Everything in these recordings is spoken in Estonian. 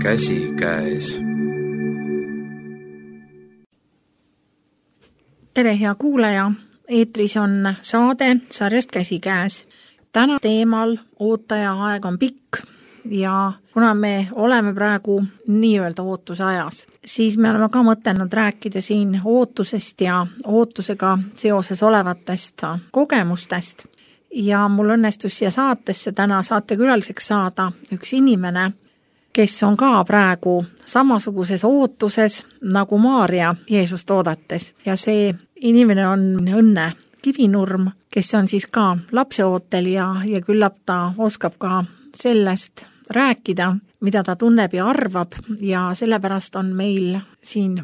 käsikäes. Tere, hea kuulaja! Eetris on saade sarjast Käsikäes. Täna teemal ootaja aeg on pikk ja kuna me oleme praegu nii-öelda ootuse ajas, siis me oleme ka mõtelnud rääkida siin ootusest ja ootusega seoses olevatest kogemustest. Ja mul õnnestus siia saatesse täna saatekülaliseks saada üks inimene, kes on ka praegu samasuguses ootuses nagu Maarja Jeesust oodates. Ja see inimene on Õnne Kivinurm, kes on siis ka lapseootel ja küllap ta oskab ka sellest rääkida, mida ta tunneb ja arvab, ja sellepärast on meil siin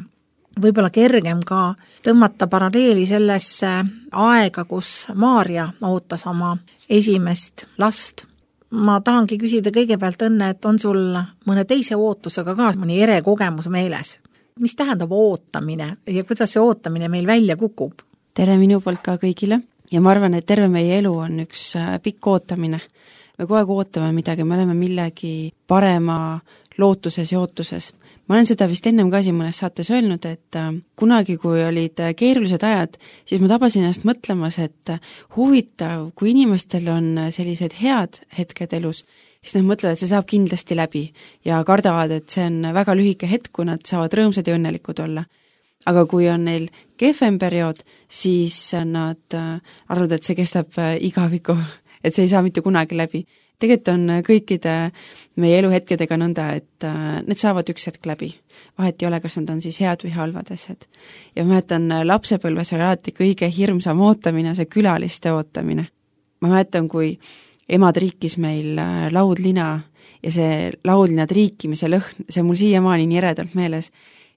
võib-olla kergem ka tõmmata paralleeli sellesse aega, kus Maarja ootas oma esimest last. Ma tahangi küsida kõigepealt, Õnne, et on sul mõne teise ootusega ka mõni erekogemus meeles? Mis tähendab ootamine ja kuidas see ootamine meil välja kukub? Tere minu poolt ka kõigile ja ma arvan, et terve meie elu on üks pikk ootamine. Me kogu aeg ootame midagi, me oleme millegi parema lootuses ja ootuses. Ma olen seda vist ennem ka siin mõnes saates öelnud, et kunagi, kui olid keerulised ajad, siis ma tabasin ennast mõtlemas, et huvitav, kui inimestel on sellised head hetked elus, siis nad mõtlevad, et see saab kindlasti läbi ja kardavad, et see on väga lühike hetk, kui nad saavad rõõmsad ja õnnelikud olla. Aga kui on neil kehvem periood, siis nad arvavad, et see kestab igaviku, et see ei saa mitte kunagi läbi. Tegelikult on kõikide meie eluhetkedega nõnda, et need saavad üks hetk läbi. Vahet ei ole, kas nad on siis head või halvad asjad. Ja ma mäletan, lapsepõlves oli alati kõige hirmsam ootamine, see külaliste ootamine. Ma mäletan, kui emad riikis meil laudlina ja see laudlina triikimise lõhn, see mul siiamaani nii eredalt meeles.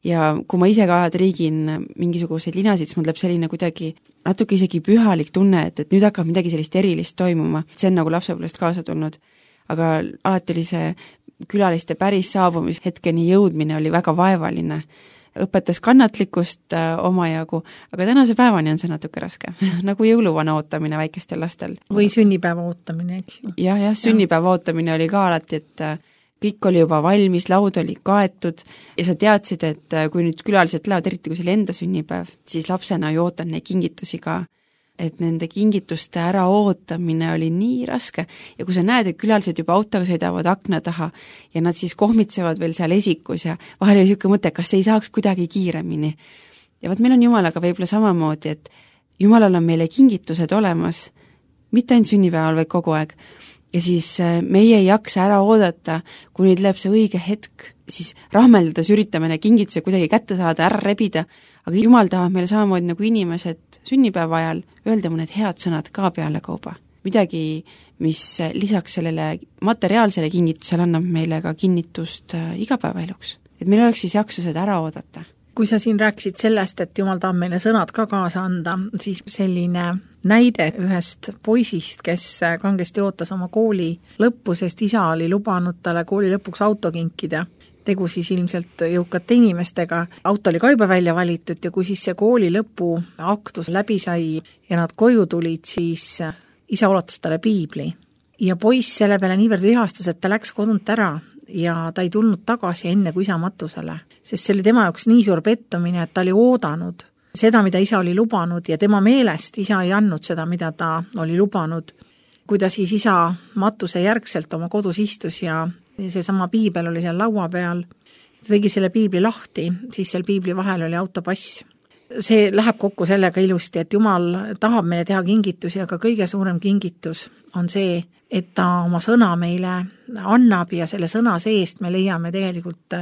Ja kui ma ise ka triigin mingisuguseid linasid, siis mul tuleb selline kuidagi natuke isegi pühalik tunne, et nüüd hakkab midagi sellist erilist toimuma. See on nagu lapsepõlvest kaasa tulnud. Aga alati oli see külaliste päris saabumishetkeni jõudmine oli väga vaevaline. Õpetas kannatlikkust omajagu, aga tänase päevani on see natuke raske. Nagu jõuluvana ootamine väikestel lastel. Või sünnipäeva ootamine, eks ju. Ja, sünnipäeva ootamine oli ka alati, et kõik oli juba valmis, laud oli kaetud ja sa teadsid, et kui nüüd külalised lähevad, eriti kui see oli enda sünnipäev, siis lapsena ju ootan neid kingitusi ka. Et nende kingituste ära ootamine oli nii raske ja kui sa näed, et külalised juba autoga sõidavad akna taha ja nad siis kohmitsevad veel seal esikus ja vahel oli niisugune mõte, kas ei saaks kuidagi kiiremini. Ja võt meil on Jumalaga võib-olla samamoodi, et Jumalal on meile kingitused olemas, mitte ainult sünnipäeval, vaid kogu aeg. Ja siis meie ei jaksa ära oodata, kui nüüd läheb see õige hetk, siis rahmeldades üritame need kingituse kuidagi kätte saada, ära rebida, aga Jumal tahab meile samamoodi nagu inimesed sünnipäeva ajal öelda mõned head sõnad ka peale kauba. Midagi, mis lisaks sellele materiaalsele kingitusele annab meile ka kinnitust igapäevaeluks. Et meil oleks siis jaksused ära oodata. Kui sa siin rääkisid sellest, et Jumal tahab meile sõnad ka kaasa anda, siis selline näide ühest poisist, kes kangesti ootas oma kooli lõppu, sest isa oli lubanud talle kooli lõpuks auto kinkida. Tegu siis ilmselt jõukate inimestega. Auto oli ka juba välja valitud ja kui siis see kooli lõpu aktus läbi sai ja nad koju tulid, siis isa ulatas talle piibli. Ja poiss selle peale niivõrd vihastas, et ta läks kodunt ära ja ta ei tulnud tagasi enne kui isa matusele. Sest see oli tema jaoks nii suur pettumine, et ta oli oodanud seda, mida isa oli lubanud ja tema meelest isa ei andnud seda, mida ta oli lubanud. Kui ta siis isa matuse järgselt oma kodus istus ja seesama piibel oli seal laua peal, ta tegi selle piibli lahti, siis seal piibli vahel oli autopass. See läheb kokku sellega ilusti, et Jumal tahab meile teha kingitusi, aga kõige suurem kingitus on see, et ta oma sõna meile annab ja selle sõna seest me leiame tegelikult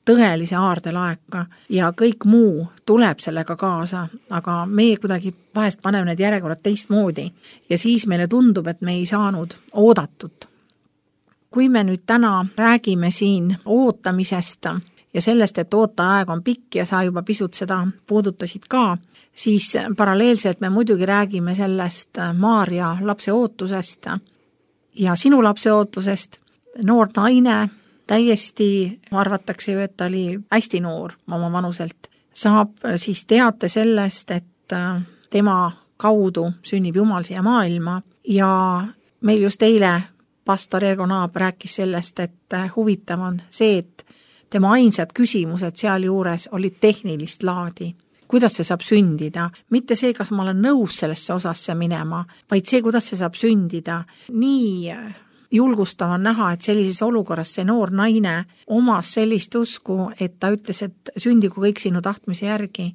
tõelise aardelaeka ja kõik muu tuleb sellega kaasa, aga meie kuidagi vahest paneme need järjekorrad teistmoodi ja siis meile tundub, et me ei saanud oodatut. Kui me nüüd täna räägime siin ootamisest ja sellest, et ooteaeg on pikk ja sa juba pisut seda puudutasid ka, siis paralleelselt me muidugi räägime sellest Maarja lapse ootusest ja sinu lapse ootusest. Noor naine, täiesti arvatakse ju, et ta oli hästi noor oma vanuselt, saab siis teate sellest, et tema kaudu sünnib Jumal siia maailma ja meil just eile pastor Ergo Naab rääkis sellest, et huvitav on see, et tema ainsad küsimused sealjuures olid tehnilist laadi. Kuidas see saab sündida? Mitte see, kas ma olen nõus sellesse osasse minema, vaid see, kuidas see saab sündida. Nii julgustav on näha, et sellises olukorras see noor naine omas sellist usku, et ta ütles, et sündigu kõik sinu tahtmise järgi.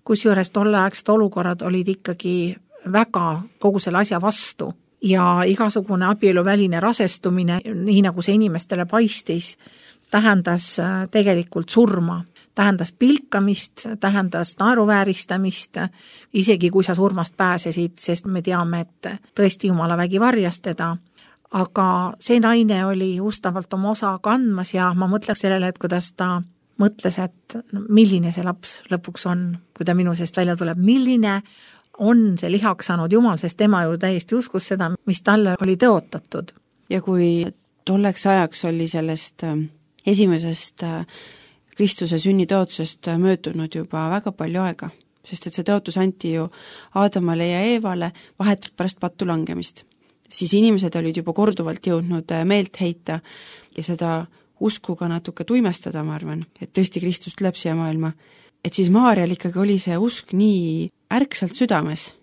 Kusjuures tolleaegsed olukorrad olid ikkagi väga kogu selle asja vastu ja igasugune abieluväline rasestumine, nii nagu see inimestele paistis, tähendas tegelikult surma. Tähendas pilkamist, tähendas naeruvääristamist, isegi kui sa surmast pääsesid, sest me teame, et tõesti Jumala vägi varjas teda. Aga see naine oli ustavalt oma osa kandmas ja ma mõtleks sellele, et kuidas ta mõtles, et milline see laps lõpuks on, kui ta minu seest välja tuleb, milline on see lihaks saanud Jumal, sest tema ju täiesti uskus seda, mis talle oli tõotatud. Ja kui tolleks ajaks oli sellest esimesest Kristuse sünnitõotusest möödunud juba väga palju aega, sest et see tõotus anti ju Aadamale ja Eevale vahetult pärast pattu langemist. Siis inimesed olid juba korduvalt jõudnud meelt heita ja seda usku ka natuke tuimestada, ma arvan, et tõesti Kristus tuleb siia maailma. Et siis Maarjal ikkagi oli see usk nii ärksalt südames.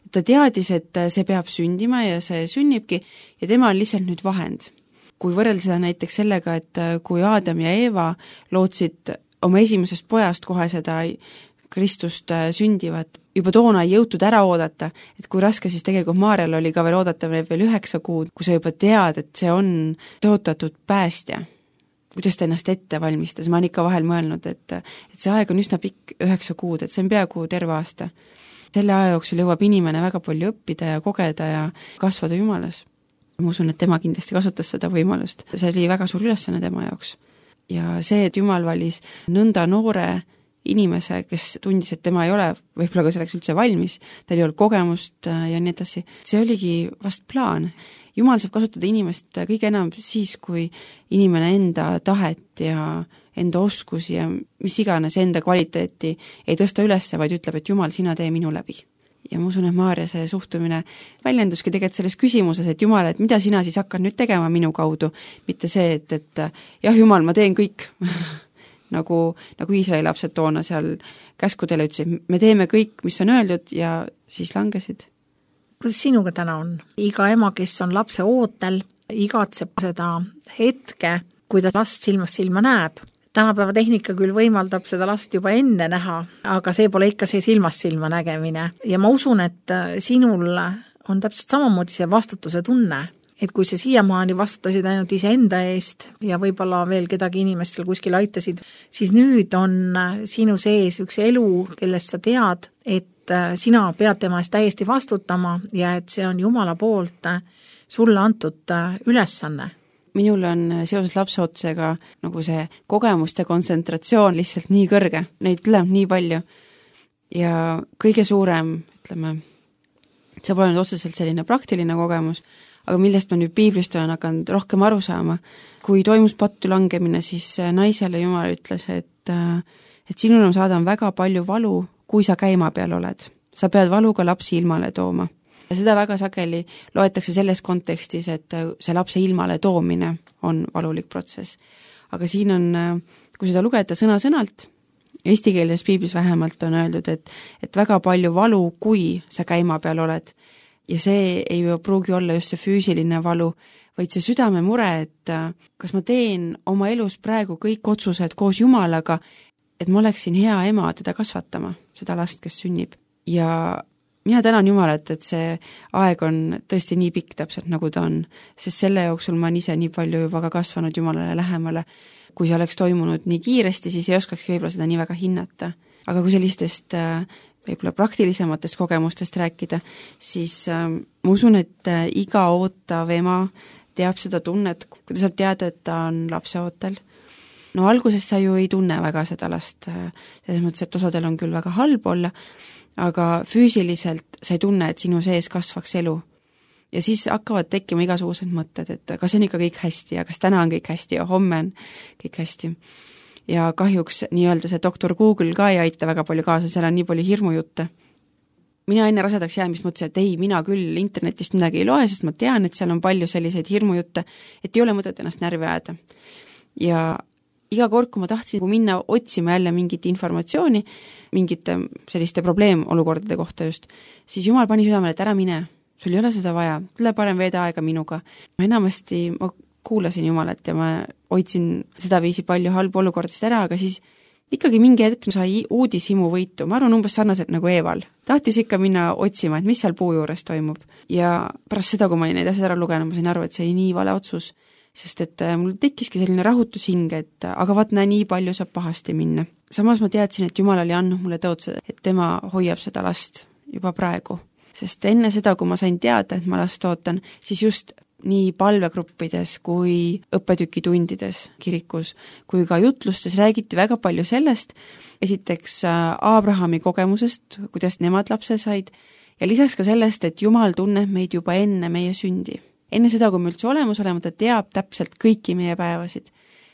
Et ta teadis, et see peab sündima ja see sünnibki ja tema on lihtsalt nüüd vahend. Kui võrrelda seda näiteks sellega, et kui Aadam ja Eeva lootsid oma esimesest pojast kohe seda Kristust sündivat, juba toona ei jõutud ära oodata, et kui raske siis tegelikult Maarjal oli ka veel oodata veel 9 kuud, kui sa juba tead, et see on tõotatud päästja. Kuidas ta ennast ette valmistas, ma olen ikka vahel mõelnud, et see aeg on üsna pikk 9 kuud, et see on peaaegu terve aasta. Selle aja jooksul jõuab inimene väga palju õppida ja kogeda ja kasvada Jumalas. Ma usun, et tema kindlasti kasutas seda võimalust. See oli väga suur ülesanne tema jaoks. Ja see, et Jumal valis nõnda noore inimese, kes tundis, et tema ei ole võib-olla ka selleks üldse valmis, tal ei olnud kogemust ja nii edasi, see oligi vast plaan. Jumal saab kasutada inimest kõige enam siis, kui inimene enda tahet ja enda oskusi ja mis iganes enda kvaliteeti ei tõsta ülesse, vaid ütleb, et Jumal, sina tee minu läbi. Ja ma usun, et Maarja see suhtumine väljenduski tegelikult selles küsimuses, et Jumal, et mida sina siis hakkad nüüd tegema minu kaudu, mitte see, et jah, Jumal, ma teen kõik, nagu Iisraeli lapsed toona seal käskudele ütlesid, me teeme kõik, mis on öeldud ja siis langesid. Kuidas sinuga täna on? Iga ema, kes on lapse ootel, igatseb seda hetke, kui ta last silmast silma näeb. Tänapäeva tehnika küll võimaldab seda last juba enne näha, aga see pole ikka see silmast silma nägemine. Ja ma usun, et sinul on täpselt samamoodi see vastutuse tunne, et kui sa siiamaani vastutasid ainult iseenda eest ja võib-olla veel kedagi inimestel kuskil aitasid, siis nüüd on sinu sees üks elu, kellest sa tead, et sina pead tema eest täiesti vastutama ja et see on Jumala poolt sulle antud ülesanne. Minul on seoses lapseootusega nagu see kogemuste kontsentratsioon lihtsalt nii kõrge, neid tuleb nii palju ja kõige suurem, ütleme, see pole nüüd otseselt selline praktiline kogemus, aga millest ma nüüd piiblist olen hakanud rohkem aru saama. Kui toimus pattu langemine, siis naisele Jumal ütles, et sinul on saada väga palju valu, kui sa käima peal oled. Sa pead valuga lapsi ilmale tooma. Ja seda väga sageli loetakse selles kontekstis, et see lapse ilmale toomine on valulik protsess. Aga siin on, kui seda lugeda sõna-sõnalt, eestikeelses piiblis vähemalt on öeldud, et väga palju valu, kui sa käima peal oled. Ja see ei pruugi olla just see füüsiline valu, vaid see südame mure, et kas ma teen oma elus praegu kõik otsused koos Jumalaga, et ma oleksin hea ema teda kasvatama, seda last, kes sünnib. Ja mina tänan Jumalat, et see aeg on tõesti nii pikk täpselt, nagu ta on, sest selle jooksul ma ise nii palju juba ka kasvanud Jumalale lähemale. Kui see oleks toimunud nii kiiresti, siis ei oskakski võib-olla seda nii väga hinnata. Aga kui sellistest võib-olla praktilisematest kogemustest rääkida, siis ma usun, et iga ootav ema teab seda tunnet, kui ta saab teada, et ta on lapse ootel. No alguses sa ju ei tunne väga seda last, selles mõttes, et osadel on küll väga halb olla, aga füüsiliselt sa ei tunne, et sinu sees kasvaks elu. Ja siis hakkavad tekkima igasugused mõtted, et kas on ikka kõik hästi ja kas täna on kõik hästi ja homme on kõik hästi. Ja kahjuks nii-öelda see doktor Google ka ei aita väga palju kaasa, seal on nii palju hirmujutte. Mina enne rasedaks jäämist mõtlesin, et ei, mina küll internetist midagi ei loe, sest ma tean, et seal on palju selliseid hirmujutte, et ei ole mõtet ennast närvi ajada. Ja iga kord, kui ma tahtsin minna otsima jälle mingit informatsiooni, mingite selliste probleemolukordade kohta just, siis Jumal pani südamele, et ära mine, sul ei ole seda vaja, tule parem veeda aega minuga. Enamasti ma kuulasin Jumalat ja ma hoidsin seda viisi palju halbu olukordast ära, aga siis ikkagi mingi hetk sai uudishimu võitu, ma arvan umbes sarnaselt nagu Eeval. Tahtis ikka minna otsima, et mis seal puu juures toimub. Ja pärast seda, kui ma neid asjad ära lugenud, ma sain aru, et see oli nii vale otsus, sest et mul tekkiski selline rahutus hing, et aga vaat näe, nii palju saab pahasti minna. Samas ma teadsin, et Jumal oli andnud mulle tõotused, et tema hoiab seda last juba praegu. Sest enne seda, kui ma sain teada, et ma last ootan, siis just nii palvegruppides kui õppetükitundides kirikus, kui ka jutlustes räägiti väga palju sellest, esiteks Abrahami kogemusest, kuidas nemad lapse said, ja lisaks ka sellest, et Jumal tunneb meid juba enne meie sündi. Enne seda, kui me üldse olemas olema, ta teab täpselt kõiki meie päevasid.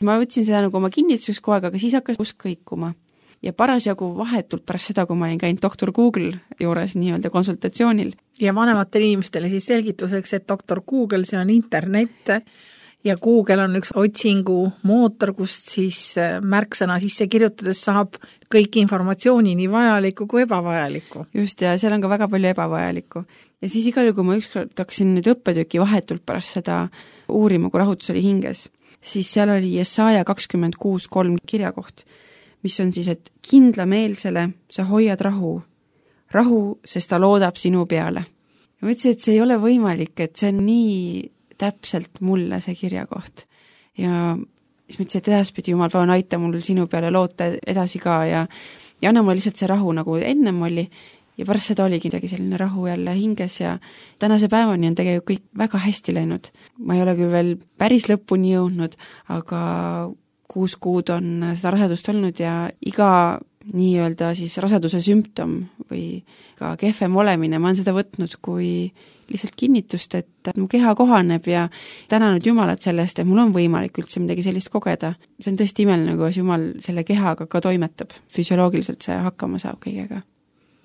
Ma võtsin seda nagu oma kinnituseks kogu aeg, aga siis hakkas usk kõikuma. Ja parasjagu vahetult pärast seda, kui ma olin käinud doktor Google juures nii-öelda konsultatsioonil. Ja vanematele inimestele siis selgituseks, et doktor Google, see on internet ja Google on üks otsingu mootor, kust siis märksõna sisse kirjutades saab kõik informatsiooni nii vajalikku kui ebavajalikku. Just, ja seal on ka väga palju ebavajalikku. Ja siis igal juhul, kui ma ükskord hakkasin nüüd õppetüki vahetult pärast seda uurima, kui rahutus oli hinges, siis seal oli Jesaja 26:3 kirjakoht, mis on siis, et kindlameelsele sa hoiad rahu, sest ta loodab sinu peale. Ja mõtlesin, et see ei ole võimalik, et see on nii täpselt mulle see kirjakoht. Ja siis mõtlesin, et edaspidi Jumal, palun aita mul sinu peale loota edasi ka ja anna mulle lihtsalt see rahu, nagu ennem oli. Ja pärast seda oligi selline rahu jälle hinges ja tänase päevani on tegelikult kõik väga hästi läinud. Ma ei ole küll veel päris lõpuni jõudnud, aga 6 kuud on seda rasedust olnud ja iga nii-öelda siis raseduse sümptom või ka kehvem olemine, ma olen seda võtnud kui lihtsalt kinnitust, et mu keha kohaneb ja tänanud Jumalat sellest, et mul on võimalik üldse midagi sellist kogeda. See on tõesti imeline, kuidas Jumal selle kehaga ka toimetab. Füsioloogiliselt see hakkama saab kõigega.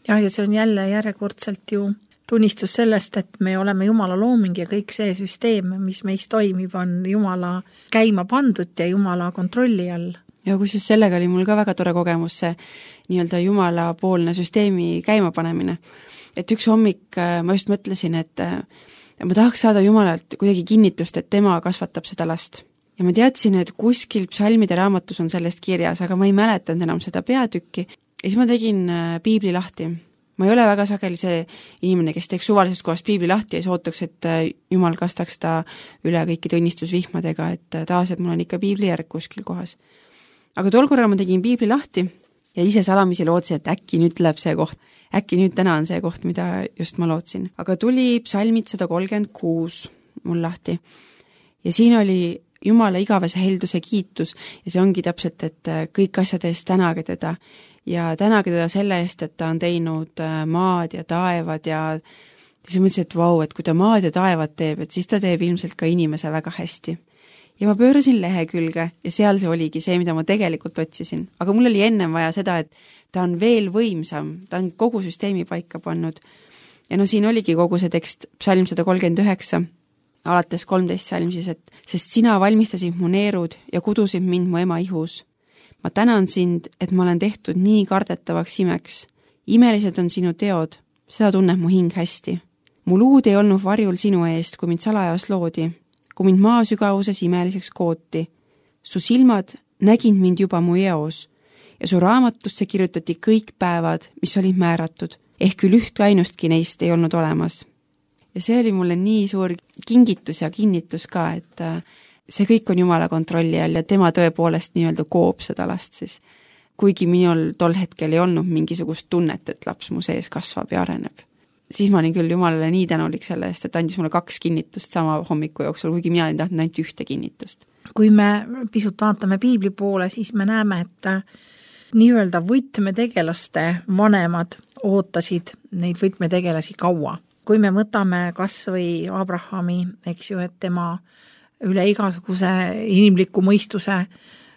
Ja see on jälle järjekordselt ju tunnistus sellest, et me oleme Jumala looming ja kõik see süsteem, mis meis toimib, on Jumala käima pandud ja Jumala kontrolli all. Ja kusjuures sellega oli mul ka väga tore kogemus see nii-öelda Jumala poolne süsteemi käimapanemine. Et üks hommik ma just mõtlesin, et ma tahaks saada Jumalalt kuidagi kinnitust, et tema kasvatab seda last. Ja ma teadsin, et kuskil psalmide raamatus on sellest kirjas, aga ma ei mäletanud enam seda peatükki. Ja siis ma tegin piibli lahti. Ma ei ole väga sageli see inimene, kes teeks suvalisest kohast piibli lahti ja siis ootaks, et Jumal kastaks ta üle kõikide õnnistusvihmadega, et taas, et mul on ikka piibli järg kuskil kohas. Aga tol korral ma tegin piibli lahti ja ise salamisi lootsin, et äkki nüüd tuleb see koht. Äkki nüüd täna on see koht, mida just ma lootsin. Aga tuli psalmid 136 mul lahti. Ja siin oli Jumala igavese helduse kiitus ja see ongi täpselt, et kõik asjad eest tänage teda. Ja tänage teda selle eest, et ta on teinud maad ja taevad ja siis mõtlesin, et vau, et kui ta maad ja taevad teeb, et siis ta teeb ilmselt ka inimese väga hästi. Ja ma pöörasin lehekülge ja seal see oligi see, mida ma tegelikult otsisin. Aga mul oli ennem vaja seda, et ta on veel võimsam, ta on kogu süsteemi paika pannud. Ja siin oligi kogu see tekst, psalm 139, alates 13 psalm siis, et sest sina valmistasid mu neerud ja kudusid mind mu ema ihus. Ma tänan sind, et ma olen tehtud nii kardetavaks imeks. Imelised on sinu teod, seda tunneb mu hing hästi. Mu luud ei olnud varjul sinu eest, kui mind salajas loodi, kui mind maa sügavuses imeliseks kooti. Su silmad nägid mind juba mu eos ja su raamatusse kirjutati kõik päevad, mis olid määratud, ehk küll üht ainustki neist ei olnud olemas. Ja see oli mulle nii suur kingitus ja kinnitus ka, et see kõik on Jumala kontrolli all ja tema tõepoolest nii-öelda koob seda last siis. Kuigi minul tol hetkel ei olnud mingisugust tunnet, et laps mu sees kasvab ja areneb. Siis ma olin küll Jumalale nii tänulik selle eest, et andis mulle 2 kinnitust sama hommiku jooksul, kuigi mina olin tahtnud ainult 1 kinnitust. Kui me pisut vaatame piibli poole, siis me näeme, et nii-öelda võtmetegelaste vanemad ootasid neid võtmetegelasi kaua. Kui me võtame kas või Abrahami, eks ju, et tema üle igasuguse inimliku mõistuse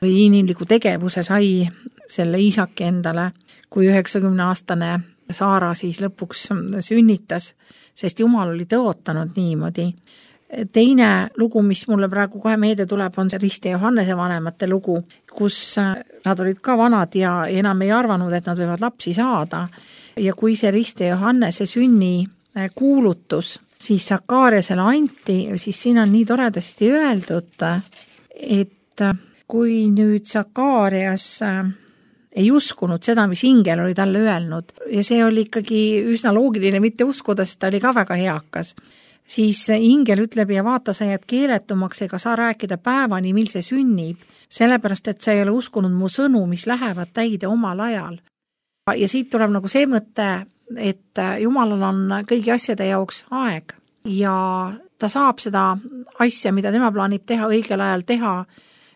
või inimliku tegevuse sai selle Iisaki endale, kui 90-aastane Saara siis lõpuks sünnitas, sest Jumal oli tõotanud niimoodi, Teine lugu, mis mulle praegu kohe meelde tuleb, on see Rist ja Johannese vanemate lugu, kus nad olid ka vanad ja enam ei arvanud, et nad võivad lapsi saada. Ja kui see Rist ja Johannese sünni kuulutus siis Sakariasele anti, siis siin on nii toredasti öeldud, et kui nüüd Sakarias ei uskunud seda, mis ingel oli talle öelnud, ja see oli ikkagi üsna loogiline mitte uskuda, sest ta oli ka väga heakas, siis ingel ütleb ja vaata, sa jääd keeletumaks ega saa rääkida päevani, mil see sünnib, sellepärast, et sa ei ole uskunud mu sõnu, mis lähevad täide omal ajal. Ja siit tuleb nagu see mõte, et Jumalal on kõigi asjade jaoks aeg ja ta saab seda asja, mida tema plaanib teha, õigel ajal teha,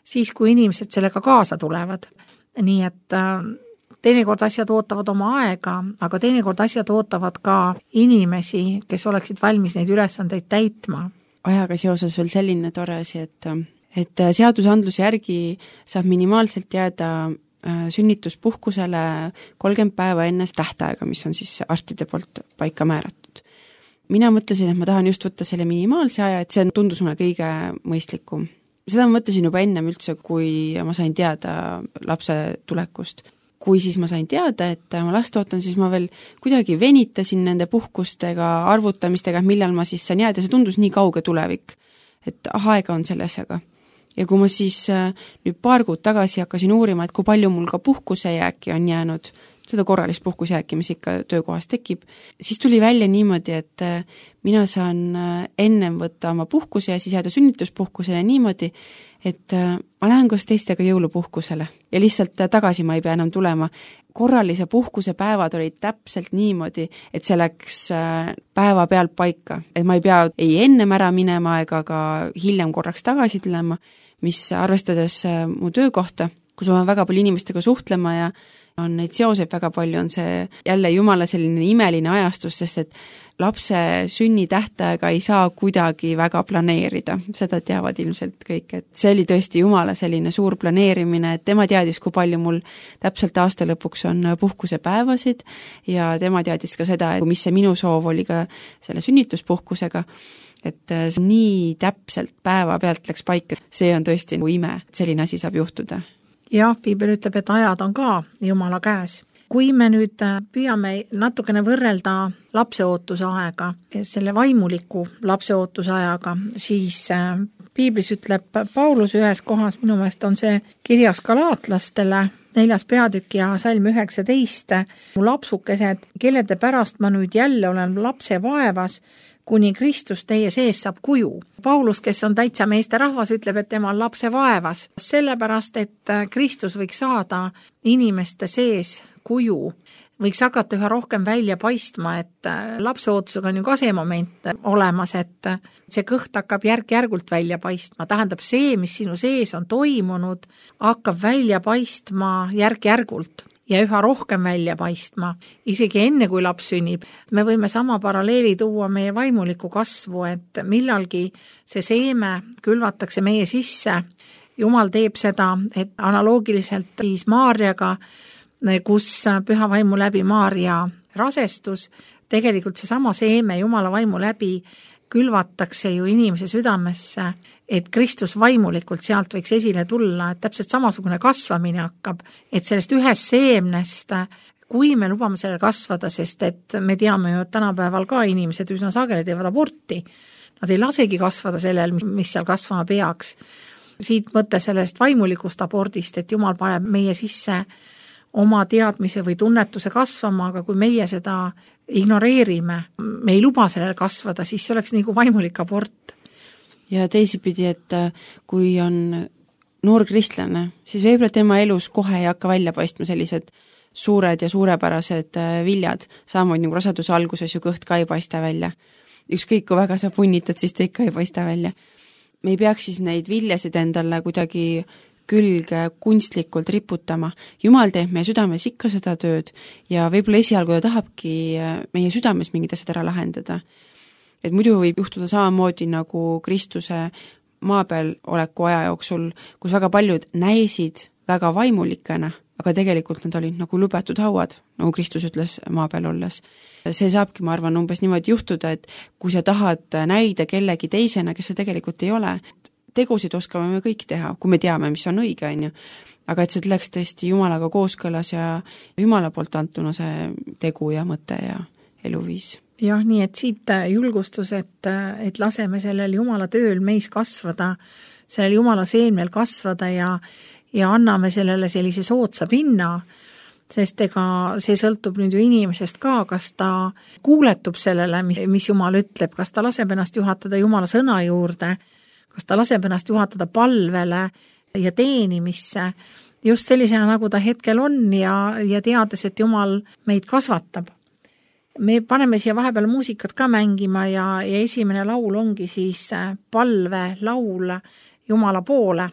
siis kui inimesed sellega kaasa tulevad. Nii et teinekord asjad ootavad oma aega, aga teinekord asjad ootavad ka inimesi, kes oleksid valmis neid ülesandeid täitma. Ajaga seoses veel selline tore asi, et seadusandluse järgi saab minimaalselt jääda sünnituspuhkusele 30 päeva enne tähtaega, mis on siis arstide poolt paika määratud. Mina mõtlesin, et ma tahan just võtta selle minimaalse aja, et see tundus mulle kõige mõistlikum. Seda ma mõtlesin juba ennem üldse, kui ma sain teada lapse tulekust. Kui siis ma sain teada, et ma last ootan, siis ma veel kuidagi venitasin nende puhkustega, arvutamistega, millal ma siis saan jääda, see tundus nii kauge tulevik, et aega on selle asjaga. Ja kui ma siis nüüd paar kuud tagasi hakkasin uurima, et kui palju mul ka puhkusejääki on jäänud, seda korralist puhkusjääki, mis ikka töökohas tekib, siis tuli välja niimoodi, et mina saan ennem võtta oma puhkuse ja siis jääda sünnituspuhkusele niimoodi, et ma lähen koos teistega jõulupuhkusele ja lihtsalt tagasi ma ei pea enam tulema. Korralise puhkuse päevad olid täpselt niimoodi, et see läks päeva pealt paika, et ma ei pea ei ennem ära minema ega ka hiljem korraks tagasi tulema, mis arvestades mu töökohta, kus ma väga palju inimestega suhtlema ja on neid seoseid väga palju, on see jälle Jumala selline imeline ajastus, sest et lapse sünni tähtaega ei saa kuidagi väga planeerida, seda teavad ilmselt kõik, et see oli tõesti Jumala selline suur planeerimine, et tema teadis, kui palju mul täpselt aasta lõpuks on puhkusepäevasid ja tema teadis ka seda, et mis see minu soov oli ka selle sünnituspuhkusega, et see nii täpselt päeva pealt läks paika, see on tõesti ime, et selline asi saab juhtuda. Jah, Piibel ütleb, et ajad on ka Jumala käes. Kui me nüüd püüame natukene võrrelda lapseootuse aega, selle vaimuliku lapseootuse ajaga, siis Piiblis ütleb Paulus ühes kohas, minu meelest on see kirjas galaatlastele, 4. peatükk ja salm 19, mu lapsukesed, kellede pärast ma nüüd jälle olen lapse vaevas, kuni Kristus teie sees saab kuju. Paulus, kes on täitsa meeste rahvas, ütleb, et tema on lapse vaevas, sellepärast, et Kristus võiks saada inimeste sees kuju, võiks hakata üha rohkem välja paistma, et lapseootusega on ju ka see moment olemas, et see kõht hakkab järk-järgult välja paistma, tähendab see, mis sinu sees on toimunud, hakkab välja paistma järk-järgult ja üha rohkem välja paistma, isegi enne kui laps sünnib. Me võime sama paralleeli tuua meie vaimuliku kasvu, et millalgi see seeme külvatakse meie sisse. Jumal teeb seda, et analoogiliselt siis Maarjaga, kus püha vaimu läbi Maarja rasestus, tegelikult see sama seeme Jumala vaimu läbi külvatakse ju inimese südamesse, et Kristus vaimulikult sealt võiks esile tulla, et täpselt samasugune kasvamine hakkab, et sellest ühest seemnest, kui me lubame sellel kasvada, sest et me teame ju, et tänapäeval ka inimesed üsna sageli teevad aborti, nad ei lasegi kasvada sellel, mis seal kasvama peaks. Siit mõte sellest vaimulikust abordist, et Jumal paneb meie sisse oma teadmise või tunnetuse kasvama, aga kui meie seda ignoreerime, me ei luba sellel kasvada, siis see oleks nagu vaimulik abort. Ja teisipidi, et kui on noor kristlane, siis võib-olla tema elus kohe ei hakka välja paistma sellised suured ja suurepärased viljad, samamoodi nagu raseduse alguses ju kõht ka ei paista välja. Ükskõik kui väga sa punnitad, siis ta ikka ei paista välja. Me ei peaks siis neid viljasid endale kuidagi külge kunstlikult riputama. Jumal teeb meie südames ikka seda tööd ja võib-olla esialgu ta tahabki meie südames mingid asjad ära lahendada. Et muidu võib juhtuda samamoodi nagu Kristuse maa peal oleku aja jooksul, kus väga paljud näisid väga vaimulikena, aga tegelikult nad olid nagu lubatud hauad, nagu Kristus ütles maa peal olles. See saabki, ma arvan, umbes niimoodi juhtuda, et kui sa tahad näida kellegi teisena, kes see tegelikult ei ole, tegusid oskame me kõik teha, kui me teame, mis on õige, on ju. Aga et see läks tõesti Jumalaga kooskõlas ja Jumala poolt antuna see tegu ja mõte ja eluviis. Jah, nii et siit julgustus, et laseme sellel Jumala tööl meis kasvada, sellel Jumala seemnel kasvada ja anname sellele sellise soodsa pinna, sest ega see sõltub nüüd ju inimesest ka, kas ta kuuletub sellele, mis Jumal ütleb, kas ta laseb ennast juhatada Jumala sõna juurde, kas ta laseb ennast juhatada palvele ja teenimisse, just sellisena, nagu ta hetkel on ja teades, et Jumal meid kasvatab. Me paneme siia vahepeal muusikat ka mängima ja esimene laul ongi siis palve laul Jumala poole.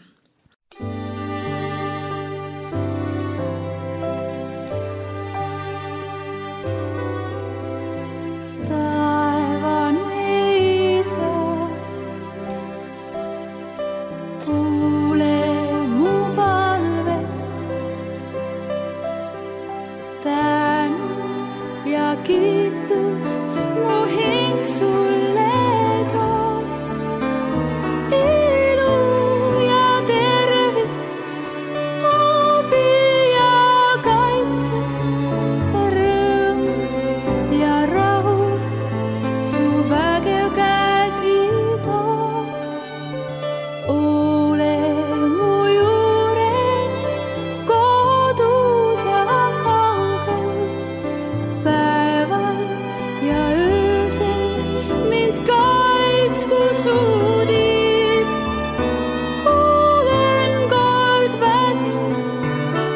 Kiitust mu hing sulle toob, ilu ja tervist, abi ja kaitse, rõõm ja rahu, su vägev käsi toob. Ole mu juures, kodus ja kaugel, ja öösel mind kaitsku suudib. Olen kord väsinud,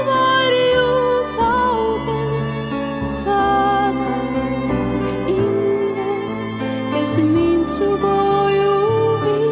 varju laugel, saada üks ingel, kes mind su koju viib.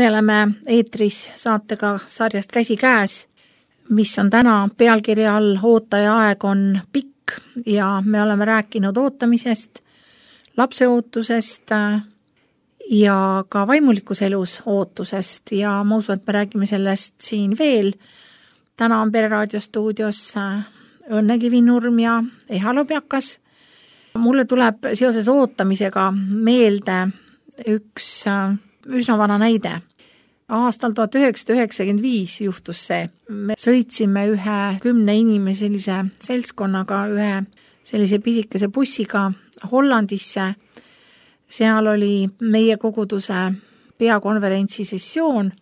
Me oleme eetris saatega sarjast Käsi käes, mis on täna pealkirja all Ootaja aeg on pikk ja me oleme rääkinud ootamisest, lapseootusest ja ka vaimulikus elus ootusest ja ma usun, et me räägime sellest siin veel. Täna on Pereraadio stuudios Õnne Kivinurm ja Eha Lobjakas. Mulle tuleb seoses ootamisega meelde üks üsna vana näide. Aastal 1995 juhtus see. Me sõitsime ühe 10 inimeselise seltskonnaga ühe sellise pisikese bussiga Hollandisse. Seal oli meie koguduse peakonverentsi sessioon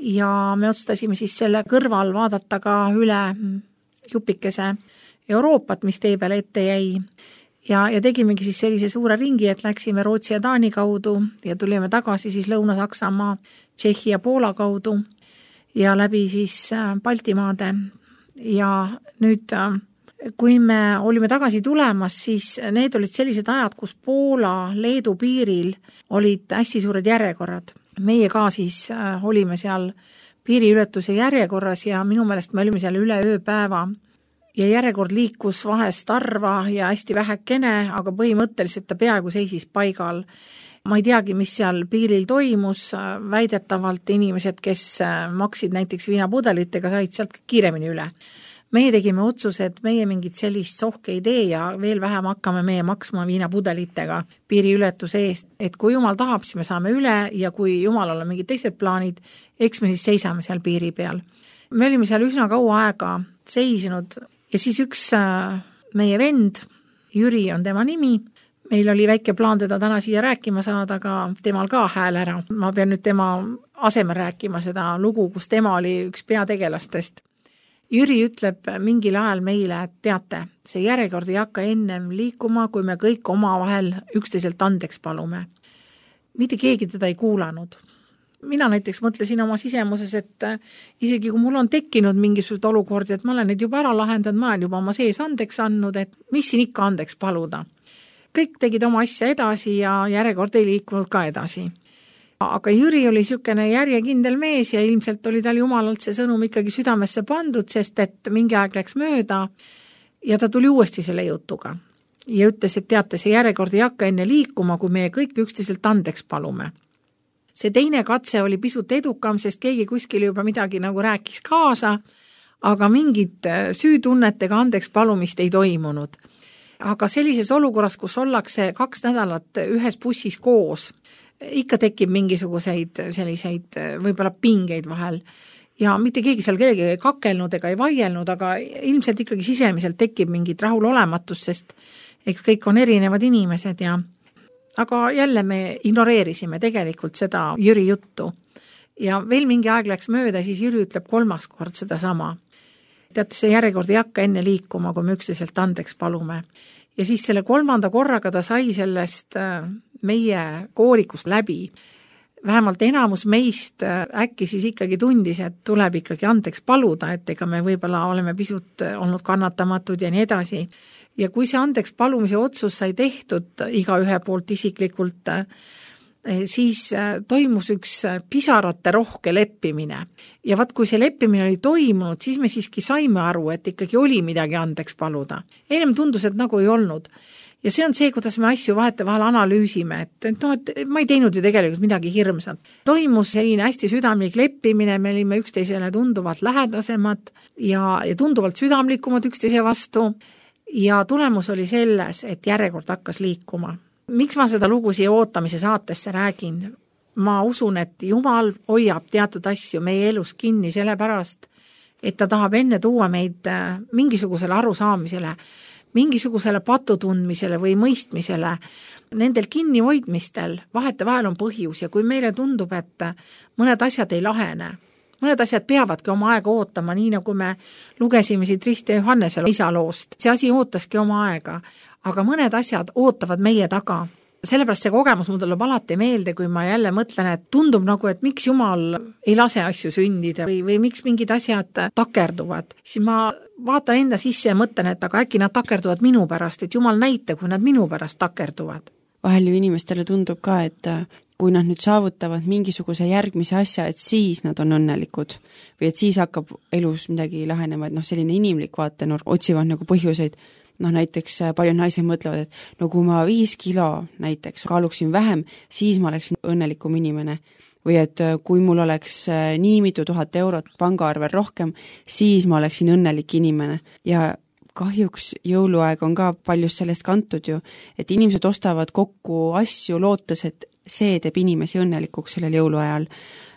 ja me otsustasime siis selle kõrval vaadata ka üle jupikese Euroopat, mis tee peale ette jäi. Ja tegimegi siis sellise suure ringi, et läksime Rootsi ja Taani kaudu ja tulime tagasi siis Lõuna-Saksamaa, Tšehhi ja Poola kaudu ja läbi siis Baltimaade. Ja nüüd, kui me olime tagasi tulemas, siis need olid sellised ajad, kus Poola, Leedu piiril olid hästi suured järjekorrad. Meie ka siis olime seal piiriületuse järjekorras ja minu meelest me olime seal üle ööpäeva. Ja järjekord liikus vahest harva ja hästi vähekene, aga põhimõtteliselt ta peaaegu seisis paigal. ma ei teagi, mis seal piiril toimus, väidetavalt inimesed, kes maksid näiteks viinapudelitega, said sealt kiiremini üle. Meie tegime otsuse, et meie mingit sellist sohke ei tee ja veel vähem hakkame meie maksma viinapudelitega piiriületuse eest, et kui jumal tahab, siis me saame üle ja kui jumalal on mingid teised plaanid, eks me siis seisame seal piiri peal. Me olime seal üsna kaua aega seisnud ja siis üks meie vend, Jüri on tema nimi, meil oli väike plaan teda täna siia rääkima saada, aga temal ka hääl ära. Ma pean nüüd tema asemel rääkima seda lugu, kus tema oli üks peategelastest. Jüri ütleb mingil ajal meile, et teate, see järjekord ei hakka ennem liikuma, kui me kõik omavahel üksteiselt andeks palume. Mitte keegi teda ei kuulanud. Mina näiteks mõtlesin oma sisemuses, et isegi kui mul on tekkinud mingisugused olukordi, et ma olen neid juba ära lahendanud, ma olen juba oma sees andeks andnud, et mis siin ikka andeks paluda. Kõik tegid oma asja edasi ja järjekord ei liikunud ka edasi. Aga Jüri oli niisugune järjekindel mees ja ilmselt oli tal jumalalt see sõnum ikkagi südamesse pandud, sest et mingi aeg läks mööda ja ta tuli uuesti selle jutuga. Ja ütles, et teate, see järjekord ei hakka enne liikuma, kui meie kõik üksteiselt andeks palume. See teine katse oli pisut edukam, sest keegi kuskil juba midagi nagu rääkis kaasa, aga mingit süütunnetega andeks palumist ei toimunud. Aga sellises olukorras, kus ollakse 2 nädalat ühes bussis koos, ikka tekib mingisuguseid selliseid võib-olla pingeid vahel ja mitte keegi seal kellegi ei kakelnud ega ei vaielnud, aga ilmselt ikkagi sisemiselt tekib mingit rahulolematus, sest eks kõik on erinevad inimesed ja aga jälle me ignoreerisime tegelikult seda Jüri juttu ja veel mingi aeg läks mööda, siis Jüri ütleb 3. kord seda sama. Teate, see järjekord ei hakka enne liikuma, kui me üksteiselt andeks palume. Ja siis selle 3. korraga ta sai sellest meie koorikust läbi. Vähemalt enamus meist äkki siis ikkagi tundis, et tuleb ikkagi andeks paluda, et ega me võib-olla oleme pisut olnud kannatamatud ja nii edasi. Ja kui see andeks palumise otsus sai tehtud igaühe poolt isiklikult, siis toimus üks pisarate rohke leppimine. Ja vaat kui see leppimine oli toimunud, siis me siiski saime aru, et ikkagi oli midagi andeks paluda. Ennem tundus, et nagu ei olnud. Ja see on see, kuidas me asju vahetevahel analüüsime, et ma ei teinud ju tegelikult midagi hirmsat. Toimus selline hästi südamlik leppimine, me olime üksteisele tunduvalt lähedasemad ja tunduvalt südamlikumad üksteise vastu ja tulemus oli selles, et järjekord hakkas liikuma. Miks ma seda lugu siia ootamise saatesse räägin? Ma usun, et Jumal hoiab teatud asju meie elus kinni sellepärast, et ta tahab enne tuua meid mingisugusele arusaamisele, mingisugusele patutundmisele või mõistmisele. Nendel kinnihoidmistel vahetevahel on põhjus ja kui meile tundub, et mõned asjad ei lahene, mõned asjad peavadki oma aega ootama, nii nagu me lugesime siit Risti ja Johannese isaloost. See asi ootaski oma aega, aga mõned asjad ootavad meie taga. Sellepärast see kogemus mul tuleb alati meelde, kui ma jälle mõtlen, et tundub nagu, et miks Jumal ei lase asju sündida või miks mingid asjad takerduvad. Siis ma vaatan enda sisse ja mõtlen, et aga äkki nad takerduvad minu pärast, et Jumal näita, kui nad minu pärast takerduvad. Vahel ju inimestele tundub ka, et kui nad nüüd saavutavad mingisuguse järgmise asja, et siis nad on õnnelikud või et siis hakkab elus midagi lahenema, et selline inimlik vaatenurk, otsivad nagu põhjuseid. Näiteks paljud naised mõtlevad, et kui ma 5 kilo näiteks kaaluksin vähem, siis ma oleksin õnnelikum inimene. Või et kui mul oleks nii mitu 1000 eurot pangaarvel rohkem, siis ma oleksin õnnelik inimene. Ja kahjuks jõuluaeg on ka paljust sellest kantud ju, et inimesed ostavad kokku asju lootes, et see teeb inimesi õnnelikuks sellel jõuluajal.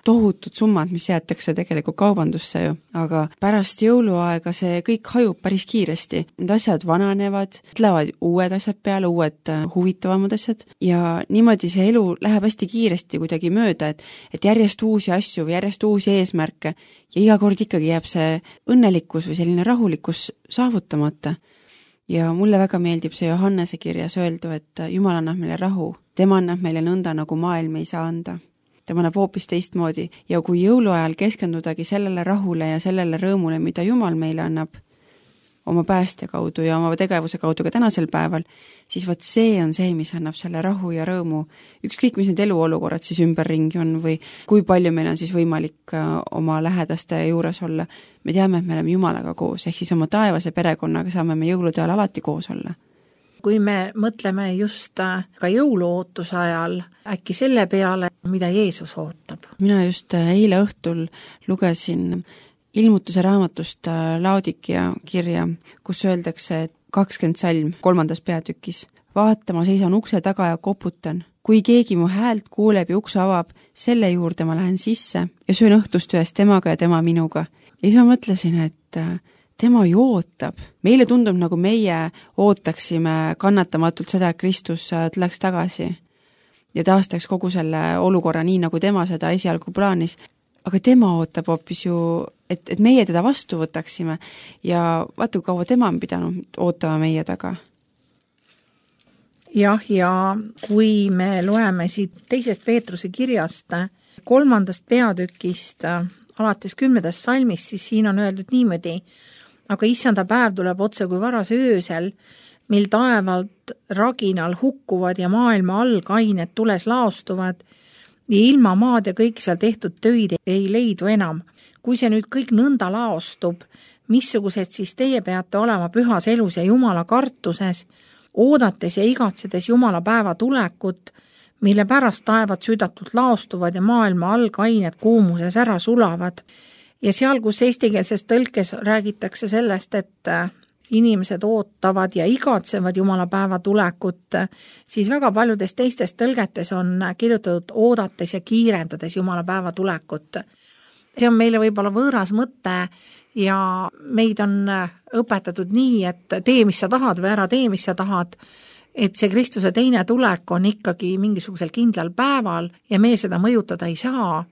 Tohutud summad, mis jäetakse tegelikult kaubandusse ju, aga pärast jõuluaega see kõik hajub päris kiiresti. Need asjad vananevad, tulevad uued asjad peale, uued huvitavamad asjad ja niimoodi see elu läheb hästi kiiresti kuidagi mööda, et järjest uusi asju või järjest uusi eesmärke ja iga kord ikkagi jääb see õnnelikkus või selline rahulikkus saavutamata. Ja mulle väga meeldib see Johannese kirjas öeldu, et Jumal annab meile rahu, tema annab meile nõnda, nagu maailm ei saa anda. Tema annab hoopis teistmoodi ja kui jõuluajal keskendudagi sellele rahule ja sellele rõõmule, mida Jumal meile annab oma päästja kaudu ja oma tegevuse kaudu ka tänasel päeval, siis võt see on see, mis annab selle rahu ja rõõmu. Ükskõik, mis need eluolukorrad siis ümberringi on või kui palju meil on siis võimalik oma lähedaste juures olla. Me teame, et me oleme Jumalaga koos, ehk siis oma taevase perekonnaga saame me jõulude ajal alati koos olla. kui me mõtleme just ka jõuluootuse ajal äkki selle peale, mida Jeesus ootab. Mina just eile õhtul lugesin ilmutuse raamatust Laodikia kirja, kus öeldakse, et 20 salm 3. peatükis. Vaata, ma seisan ukse taga ja koputan. Kui keegi mu häält kuuleb ja ukse avab, selle juurde ma lähen sisse ja söön õhtust ühes temaga ja tema minuga. Ja siis ma mõtlesin, et tema ju ootab. Meile tundub, nagu meie ootaksime kannatamatult seda, et Kristus tuleks tagasi ja taastaks kogu selle olukorra nii, nagu tema seda esialgu plaanis. Aga tema ootab hoopis ju, et meie teda vastu võtaksime ja vaata, kui kaua tema on pidanud ootama meie taga. Jah, ja kui me loeme siit 2. Peetruse kirjast 3. peatükist alates 10. salmist, siis siin on öeldud niimoodi, aga issanda päev tuleb otse kui varase öösel, mil taevalt raginal hukkuvad ja maailma algained tules laostuvad ja ilma maad ja kõik seal tehtud töid ei leidu enam. Kui see nüüd kõik nõnda laostub, missugused siis teie peate olema pühas elus ja Jumala kartuses, oodates ja igatsedes Jumala päeva tulekut, mille pärast taevad südatult laostuvad ja maailma algained kuumuses ära sulavad. Ja seal, kus eestikeelses tõlkes räägitakse sellest, et inimesed ootavad ja igatsevad Jumala päeva tulekut, siis väga paljudes teistes tõlgetes on kirjutatud oodates ja kiirendades Jumala päeva tulekut. See on meile võib-olla võõras mõte ja meid on õpetatud nii, et tee, mis sa tahad või ära tee, mis sa tahad, et see Kristuse teine tulek on ikkagi mingisugusel kindlal päeval ja me seda mõjutada ei saa.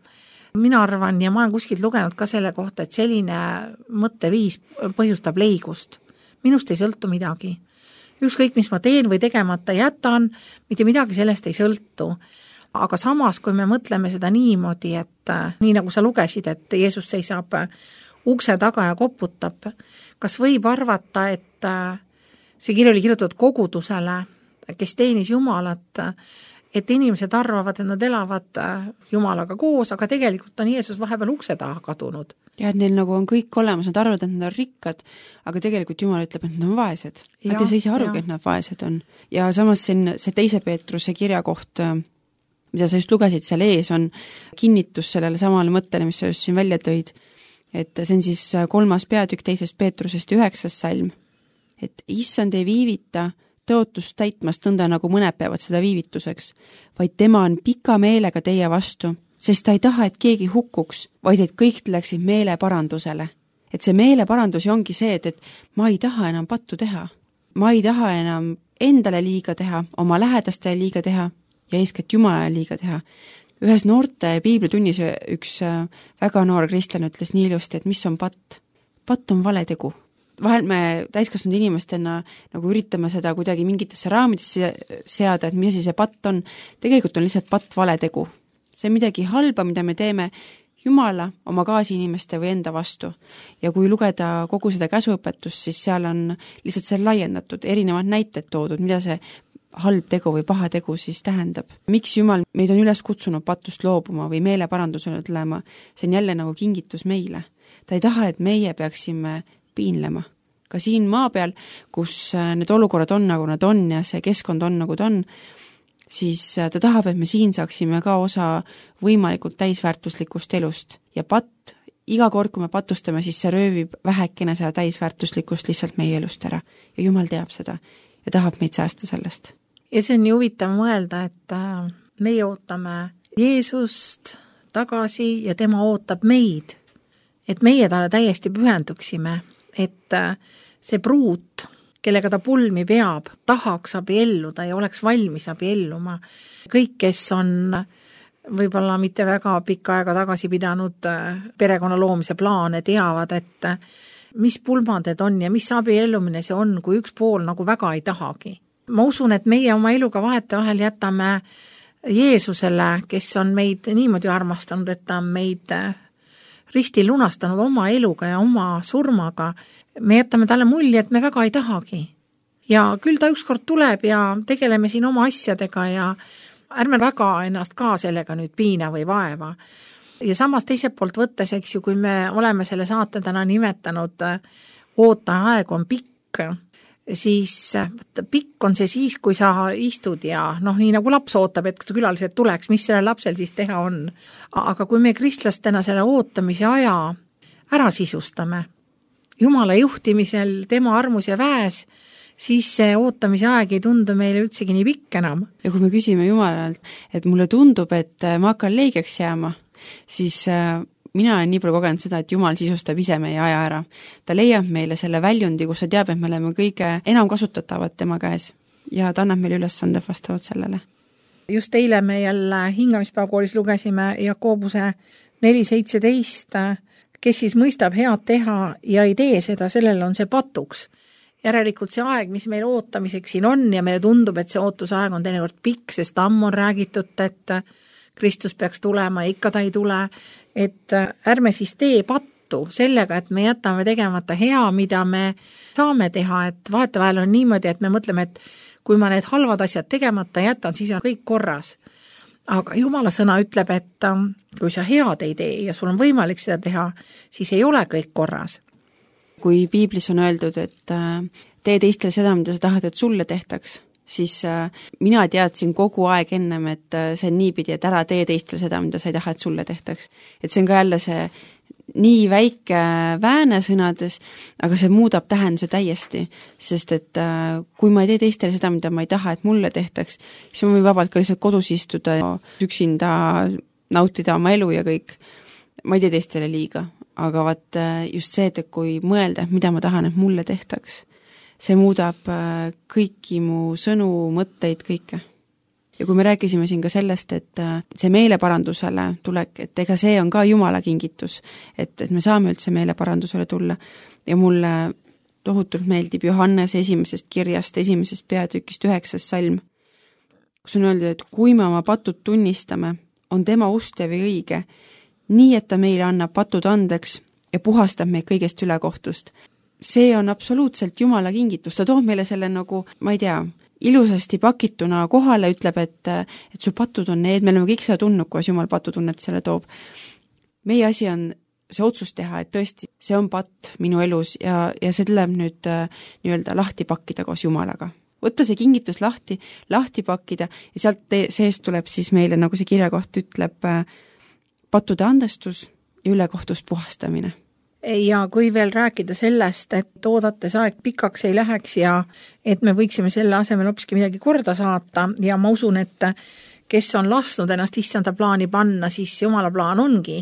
Mina arvan ja ma olen kuskilt lugenud ka selle kohta, et selline mõtteviis põhjustab leigust. Minust ei sõltu midagi. Ükskõik, mis ma teen või tegemata jätan, mitte midagi sellest ei sõltu. Aga samas, kui me mõtleme seda niimoodi, et nii nagu sa lugesid, et Jeesus seisab ukse taga ja koputab, kas võib arvata, et see kiri oli kirjutatud kogudusele, kes teenis Jumalat, et inimesed arvavad, et nad elavad Jumalaga koos, aga tegelikult on Jeesus vahepeal ukse taha kadunud. Ja et neil nagu on kõik olemas, nad arvavad, et nad on rikkad, aga tegelikult Jumal ütleb, et nad on vaesed. Nad ei saa arugi, et nad vaesed on. Ja samas see 2. Peetruse kirja koht, mida sa just lugesid seal ees, on kinnitus sellele samale mõttele, mis sa just siin välja tõid. Et see on siis 3. peatükk 2. Peetrusest 9. salm. Et issand ei viivita tõotust täitmast nõnda, nagu mõned peavad seda viivituseks, vaid tema on pika meelega teie vastu, sest ta ei taha, et keegi hukkuks, vaid et kõik läksid meeleparandusele. Et see meeleparandus ongi see, et ma ei taha enam pattu teha. Ma ei taha enam endale liiga teha, oma lähedastele liiga teha ja eeskätt Jumalale liiga teha. Ühes noorte piiblitunnis üks väga noor kristlane ütles nii ilusti, et mis on patt? Patt on valetegu. Vahel me täiskasvanud inimestena nagu üritame seda kuidagi mingitesse raamidesse seada, et mis see patt on. Tegelikult on lihtsalt patt valetegu. See on midagi halba, mida me teeme Jumala, oma kaasiinimeste või enda vastu. Ja kui lugeda kogu seda käsuõpetust, siis seal on lihtsalt see laiendatud, erinevad näited toodud, mida see halb tegu või paha tegu siis tähendab. Miks Jumal meid on üles kutsunud patust loobuma või meeleparandusele tulema, see on jälle nagu kingitus meile. Ta ei taha, et meie peaksime piinlema. Ka siin maa peal, kus need olukorrad on, nagu nad on ja see keskkond on, nagu ta on, siis ta tahab, et me siin saaksime ka osa võimalikult täisväärtuslikust elust. Ja patt, iga kord, kui me patustame, siis see röövib vähekene seda täisväärtuslikust lihtsalt meie elust ära. Ja Jumal teab seda ja tahab meid säästa sellest. Ja see on nii huvitav mõelda, et meie ootame Jeesust tagasi ja tema ootab meid, et meie talle täiesti pühenduksime, et see pruut, kellega ta pulmi peab, tahaks abielluda ja oleks valmis abielluma. Kõik, kes on võib-olla mitte väga pikka aega tagasi pidanud perekonna loomise plaane, teavad, et mis pulmanded on ja mis abiellumine see on, kui üks pool nagu väga ei tahagi. Ma usun, et meie oma eluga vahetevahel jätame Jeesusele, kes on meid niimoodi armastanud, et ta on meid ristil lunastanud oma eluga ja oma surmaga, me jätame talle mulje, et me väga ei tahagi. Ja küll ta ükskord tuleb ja tegeleme siin oma asjadega ja ärme väga ennast ka sellega nüüd piina või vaeva. Ja samas teiselt poolt võttes, eks ju, kui me oleme selle saate täna nimetanud, ootaja aeg on pikk, siis pikk on see siis, kui sa istud ja nii nagu laps ootab, et külalised tuleks, mis sellel lapsel siis teha on. Aga kui me kristlastena selle ootamise aja ära sisustame, Jumala juhtimisel, tema armus ja väes, siis see ootamise aeg ei tundu meile üldsegi nii pikk enam. Ja kui me küsime Jumalalt, et mulle tundub, et ma hakkan leigeks jääma, siis mina olen nii palju kogenud seda, et Jumal sisustab ise meie aja ära. Ta leiab meile selle väljundi, kus ta teab, et me oleme kõige enam kasutatavad tema käes ja ta annab meile ülesande vastavalt sellele. Just eile me jälle hingamispäevakoolis lugesime Jakobuse 4.17, kes siis mõistab head teha ja ei tee seda, sellel on see patuks. Järelikult see aeg, mis meil ootamiseks siin on ja meile tundub, et see ootusaeg on teinekord pikk, sest ammu on räägitud, et Kristus peaks tulema ja ikka ta ei tule, et ärme siis tee pattu sellega, et me jätame tegemata hea, mida me saame teha, et vahetevahel on niimoodi, et me mõtleme, et kui ma need halvad asjad tegemata jätan, siis on kõik korras. Aga Jumala sõna ütleb, et kui sa head ei tee ja sul on võimalik seda teha, siis ei ole kõik korras. Kui piiblis on öeldud, et tee teistele seda, mida sa tahad, et sulle tehtaks, siis mina teadsin kogu aeg ennem, et see on niipidi, et ära tee teistele seda, mida sa ei taha, et sulle tehtaks. Et see on ka jälle see nii väike vääne sõnades, aga see muudab tähenduse täiesti, sest et kui ma ei tee teistele seda, mida ma ei taha, et mulle tehtaks, siis ma võin vabalt ka lihtsalt kodus istuda ja üksinda nautida oma elu ja kõik. Ma ei tee teistele liiga, aga vaat just see, et kui mõelda, mida ma tahan, et mulle tehtaks, see muudab kõiki mu sõnu, mõtteid, kõike. Ja kui me rääkisime siin ka sellest, et see meeleparandusele tulek, et ega see on ka Jumala kingitus, et me saame üldse meeleparandusele tulla ja mulle tohutult meeldib Johannes esimesest kirjast, esimesest peatükist 9. salm, kus on öeldud, et kui me oma patud tunnistame, on tema ustev ja õige, nii et ta meile annab patud andeks ja puhastab meid kõigest ülekohtust. See on absoluutselt Jumala kingitus, ta toob meile selle nagu, ma ei tea, ilusasti pakituna kohale, ütleb, et su patud on need, me oleme kõik seda tundnud, kuidas Jumal patutunnet selle toob. Meie asi on see otsus teha, et tõesti, see on patt minu elus ja see tuleb nüüd nii-öelda lahti pakkida koos Jumalaga. Võtta see kingitus lahti pakkida ja sealt seest tuleb siis meile, nagu see kirjakoht ütleb, pattude andestus ja ülekohtust puhastamine. Ja kui veel rääkida sellest, et oodates aeg pikaks ei läheks ja et me võiksime selle asemel hoopiski midagi korda saata ja ma usun, et kes on lasknud ennast issanda plaani panna, siis Jumala plaan ongi,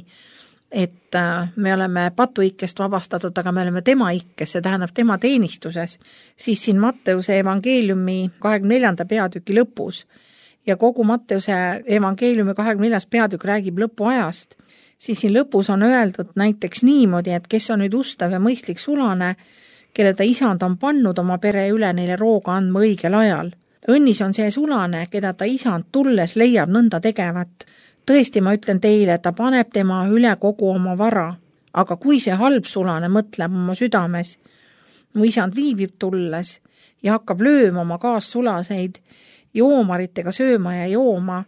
et me oleme patuikkest vabastatud, aga me oleme tema ikkes, see tähendab tema teenistuses, siis siin Matteuse evangeeliumi 24. peatüki lõpus ja kogu Matteuse evangeeliumi 24. peatükk räägib lõpuajast, siis siin lõpus on öeldud näiteks niimoodi, et kes on nüüd ustav ja mõistlik sulane, kelle ta isand on pannud oma pere üle neile rooga andma õigel ajal. Õnnis on see sulane, keda ta isand tulles leiab nõnda tegevat. Tõesti, ma ütlen teile, et ta paneb tema üle kogu oma vara. Aga kui see halb sulane mõtleb oma südames, mu isand viibib tulles ja hakkab lööma oma kaassulaseid, joomaritega sööma ja jooma,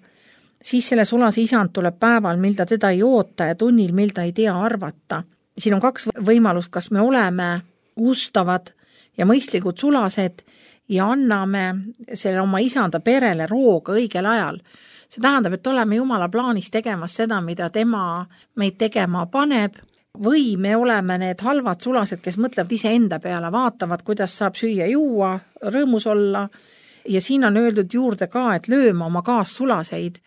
siis selle sulase isand tuleb päeval, mil ta teda ei oota ja tunnil, mil ta ei tea arvata. Siin on 2 võimalust, kas me oleme ustavad ja mõistlikud sulased ja anname selle oma isanda perele rooga õigel ajal. See tähendab, et oleme Jumala plaanis tegemas seda, mida tema meid tegema paneb, või me oleme need halvad sulased, kes mõtlevad ise enda peale, vaatavad, kuidas saab süüa juua, rõõmus olla ja siin on öeldud juurde ka, et lööma oma kaassulaseid,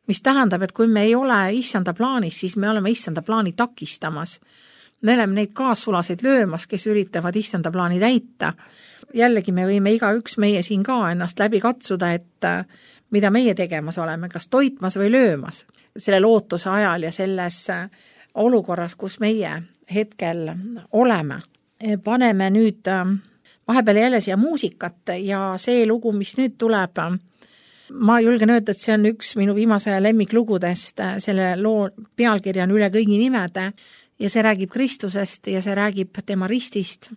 mis tähendab, et kui me ei ole issanda plaanis, siis me oleme issanda plaani takistamas. Me oleme neid kaassulaseid löömas, kes üritavad issanda plaani täita. Jällegi me võime igaüks meie siin ka ennast läbi katsuda, et mida meie tegemas oleme, kas toitmas või löömas selle lootuse ajal ja selles olukorras, kus meie hetkel oleme. Paneme nüüd vahepeal jälle siia muusikat ja see lugu, mis nüüd tuleb, ma julgen öelda, et see on üks minu viimase lemmiklugudest, selle loo pealkirja on Üle kõigi nimede ja see räägib Kristusest ja see räägib tema ristist,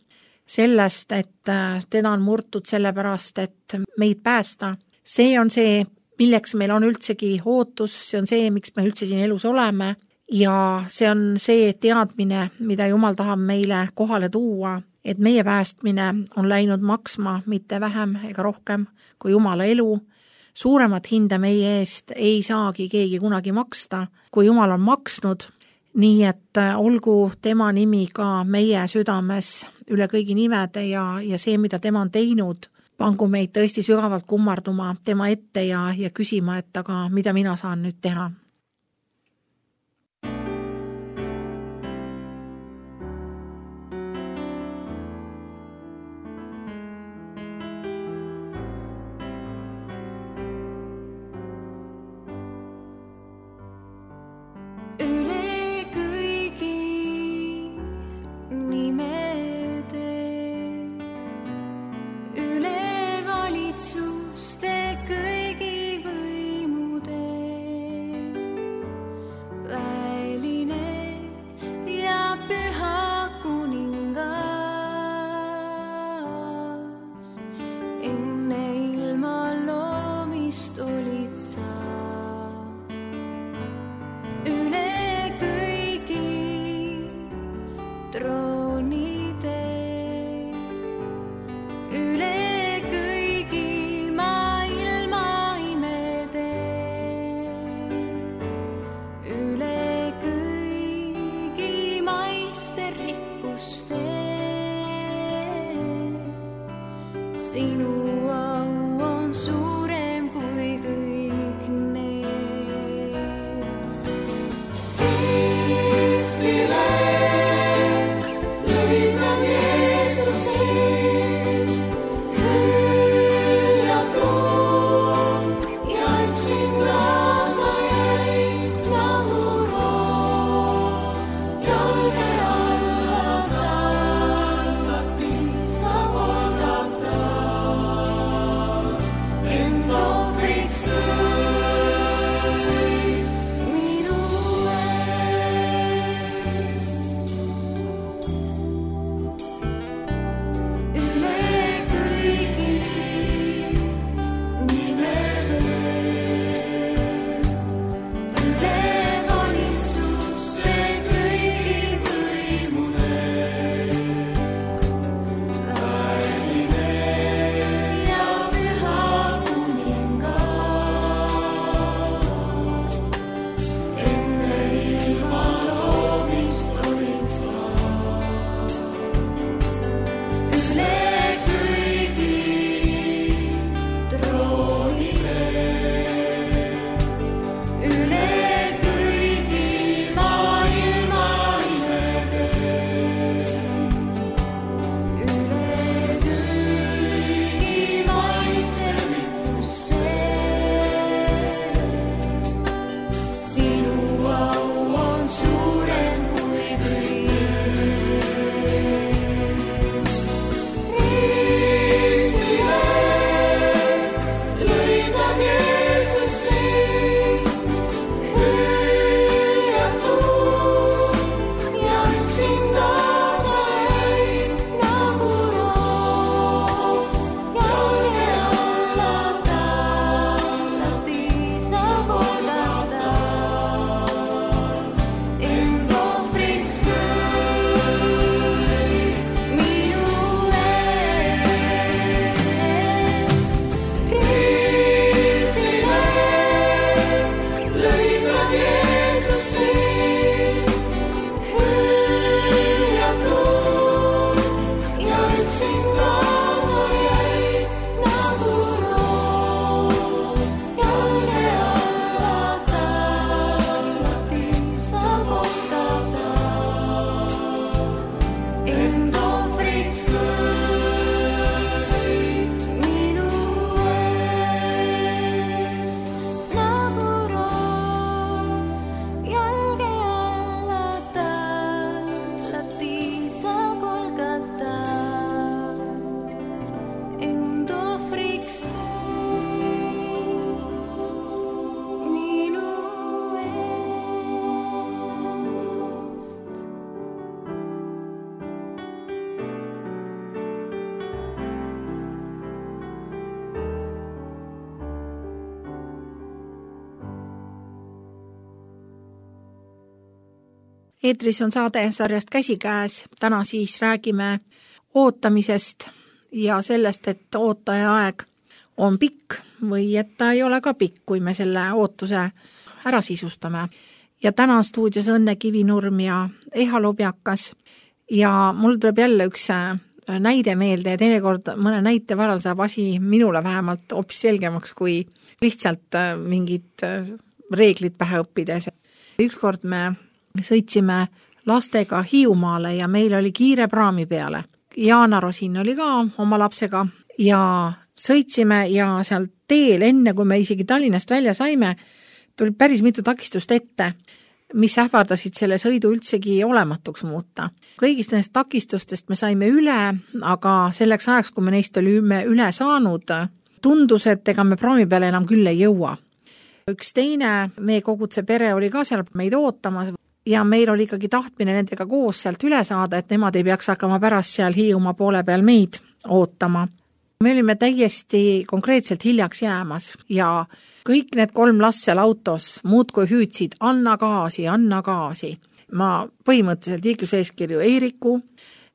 sellest, et teda on murtud sellepärast, et meid päästa. See on see, milleks meil on üldsegi ootus, see on see, miks me üldse siin elus oleme ja see on see teadmine, mida Jumal tahab meile kohale tuua, et meie päästmine on läinud maksma mitte vähem ega rohkem kui Jumala elu. Suuremat hinda meie eest ei saagi keegi kunagi maksta, kui Jumal on maksnud, nii et olgu tema nimi ka meie südames üle kõigi nimede ja see, mida tema on teinud, pangu meid tõesti sügavalt kummarduma tema ette ja küsima, et aga mida mina saan nüüd teha. Eetris on saade sarjast Käsikäes, täna siis räägime ootamisest ja sellest, et ootaja aeg on pikk või et ta ei ole ka pikk, kui me selle ootuse ära sisustame. Ja täna stuudios Õnne Kivinurm ja Eha Lobjakas ja mul tuleb jälle üks näide meelde ja teinekord mõne näite varal saab asi minule vähemalt hoopis selgemaks, kui lihtsalt mingid reeglid pähe õppides. Ükskord me sõitsime lastega Hiiumaale ja meil oli kiire praami peale. Jaana Rosin oli ka oma lapsega ja sõitsime ja seal teel, enne kui me isegi Tallinnast välja saime, tuli päris mitu takistust ette, mis ähvardasid selle sõidu üldsegi olematuks muuta. Kõigist nendest takistustest me saime üle, aga selleks ajaks, kui me neist olime üle saanud, tundus, et ega me praami peale enam küll ei jõua. Üks teine meie kogutse pere oli ka seal meid ootamas ja meil oli ikkagi tahtmine nendega koos sealt üle saada, et nemad ei peaks hakkama pärast seal Hiiumaa poole peal meid ootama. Me olime täiesti konkreetselt hiljaks jäämas ja kõik need 3 last seal autos muudkui hüüdsid, anna gaasi, anna gaasi. Ma põhimõtteliselt liikluseeskirju ei riku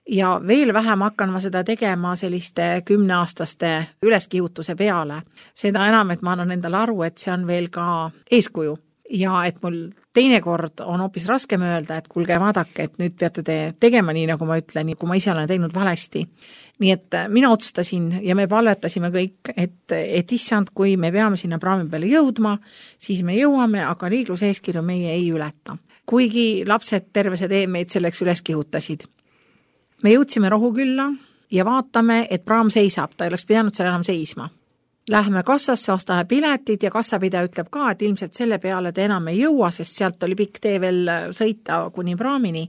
ja veel vähem hakkan ma seda tegema selliste 10-aastaste üleskihutuse peale. Seda enam, et ma annan endale aru, et see on veel ka eeskuju ja et mul teinekord on hoopis raskem öelda, et kuulge, vaadake, et nüüd peate te tegema nii, nagu ma ütlen, kui ma ise olen teinud valesti. Nii et mina otsustasin ja me palvetasime kõik, et issand, kui me peame sinna praami peale jõudma, siis me jõuame, aga liikluseeskirju meie ei ületa. Kuigi lapsed terve see tee meid selleks üles kihutasid. Me jõudsime Rohukülla ja vaatame, et praam seisab, ta ei oleks pidanud seal enam seisma. Läheme kassasse, ostame piletid ja kassapidaja ütleb ka, et ilmselt selle peale te enam ei jõua, sest sealt oli pikk tee veel sõita kuni praamini.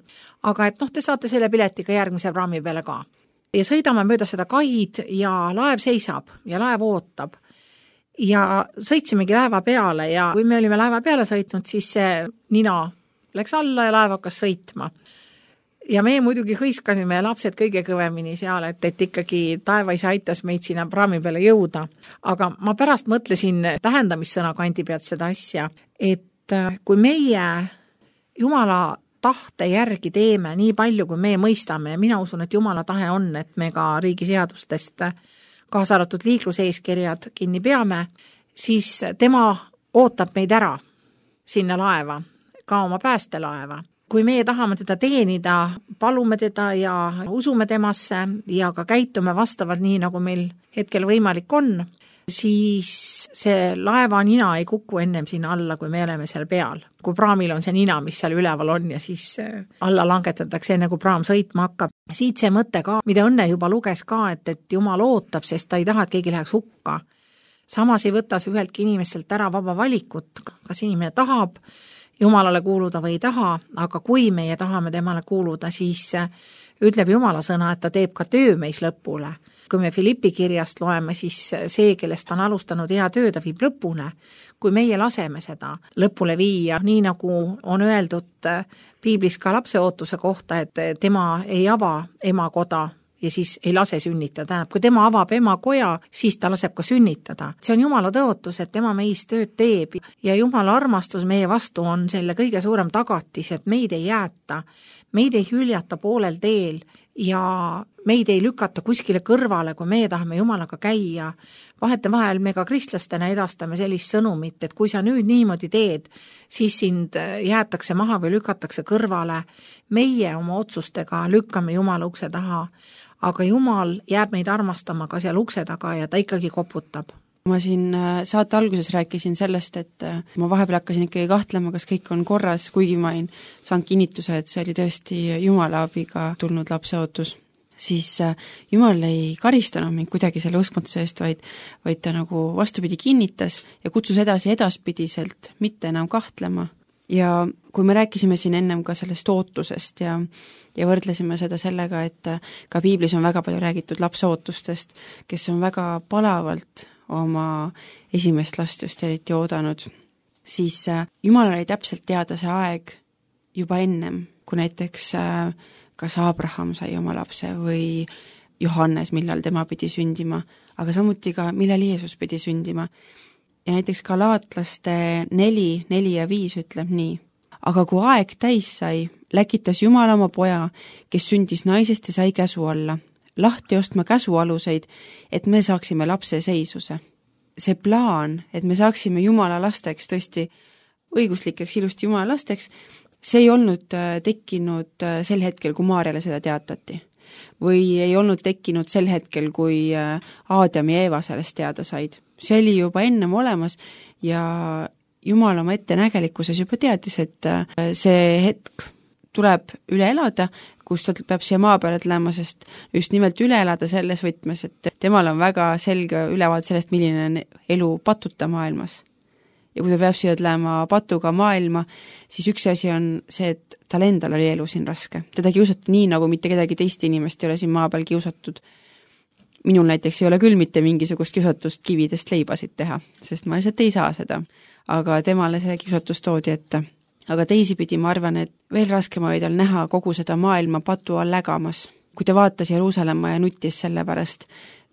Aga et te saate selle piletiga järgmise praami peale ka. Ja sõidame mööda seda kaid ja laev seisab ja laev ootab. Ja sõitsimegi laeva peale ja kui me olime laeva peale sõitnud, siis see nina läks alla ja laev hakkas sõitma. Ja me muidugi hõiskasime lapsed kõige kõvemini seal, et ikkagi taevaisa aitas meid sinna praami peale jõuda. Aga ma pärast mõtlesin tähendamissõna kandi pealt seda asja, et kui meie Jumala tahte järgi teeme nii palju, kui me mõistame ja mina usun, et Jumala tahe on, et me ka riigiseadustest kaasa arvatud liikluseeskirjad kinni peame, siis tema ootab meid ära sinna laeva, ka oma päästelaeva. Kui meie tahame teda teenida, palume teda ja usume temasse ja ka käitume vastavalt nii, nagu meil hetkel võimalik on, siis see laeva nina ei kuku ennem sinna alla, kui me oleme seal peal. Kui praamil on see nina, mis seal üleval on ja siis alla langetatakse enne, kui praam sõitma hakkab. Siit see mõte ka, mida Õnne juba luges ka, et Jumal ootab, sest ta ei taha, et keegi läheks hukka. Samas ei võta see üheltki inimeselt ära vaba valikut, kas inimene tahab Jumalale kuuluda või ei taha, aga kui meie tahame temale kuuluda, siis ütleb Jumala sõna, et ta teeb ka töö meis lõpule. Kui me Filippi kirjast loeme, siis see, kellest on alustanud hea töö, ta viib lõpune. Kui meie laseme seda lõpule viia, nii nagu on öeldud piiblis ka lapse ootuse kohta, et tema ei ava emakoda ja siis ei lase sünnitada. Kui tema avab emakoja, siis ta laseb ka sünnitada. See on Jumala tõotus, et tema meis tööd teeb ja Jumala armastus meie vastu on selle kõige suurem tagatis, et meid ei jäeta, meid ei hüljata poolel teel ja meid ei lükata kuskile kõrvale, kui meie tahame Jumalaga käia. Vahetevahel me ka kristlastena edastame sellist sõnumit, et kui sa nüüd niimoodi teed, siis sind jäetakse maha või lükatakse kõrvale. Meie oma otsustega lükkame Jumala ukse taha, aga Jumal jääb meid armastama ka seal ukse taga ja ta ikkagi koputab. Ma siin saate alguses rääkisin sellest, et ma vahepeal hakkasin ikkagi kahtlema, kas kõik on korras, kuigi ma ei saanud kinnituse, et see oli tõesti Jumala abiga tulnud lapseootus. Siis Jumal ei karistanud mind kuidagi selle uskmatuse eest, vaid ta nagu vastupidi kinnitas ja kutsus edaspidiselt mitte enam kahtlema. Ja kui me rääkisime siin ennem ka sellest ootusest ja võrdlesime seda sellega, et ka piiblis on väga palju räägitud lapseootustest, kes on väga palavalt oma esimest last just eriti oodanud, siis Jumal oli täpselt teada see aeg juba ennem, kui näiteks kas Abraham sai oma lapse või Johannes, millal tema pidi sündima, aga samuti ka, millal Jeesus pidi sündima. Ja näiteks Galaatlaste 4 ja 5 ütleb nii. Aga kui aeg täis sai, läkitas Jumal oma poja, kes sündis naisest ja sai käsu alla. lahti ostma käsualuseid, et me saaksime lapse seisuse. See plaan, et me saaksime Jumala lasteks, tõesti õiguslikeks ilusti Jumala lasteks, see ei olnud tekkinud sel hetkel, kui Maarjale seda teatati. Või ei olnud tekkinud sel hetkel, kui Aadam ja Eeva sellest teada said. See oli juba ennem olemas ja Jumal oma ettenägelikkuses juba teadis, et see hetk tuleb üle elada, kus ta peab siia maa peale tulema, sest just nimelt üle elada selles võtmes, et temal on väga selge ülevaade sellest, milline on elu patuta maailmas. Ja kui ta peab siia tulema patuga maailma, siis üks asi on see, et tal endal oli elu siin raske. Teda kiusati nii, nagu mitte kedagi teist inimest ei ole siin maa peal kiusatud. Minul näiteks ei ole küll mitte mingisugust kiusatust kividest leibasid teha, sest ma lihtsalt ei saa seda. Aga temale see kiusatus toodi ette. Aga teisipidi ma arvan, et veel raskem oli tal näha kogu seda maailma patu all lägamas. Kui ta vaatas Jeruusalemma ja nutis selle pärast,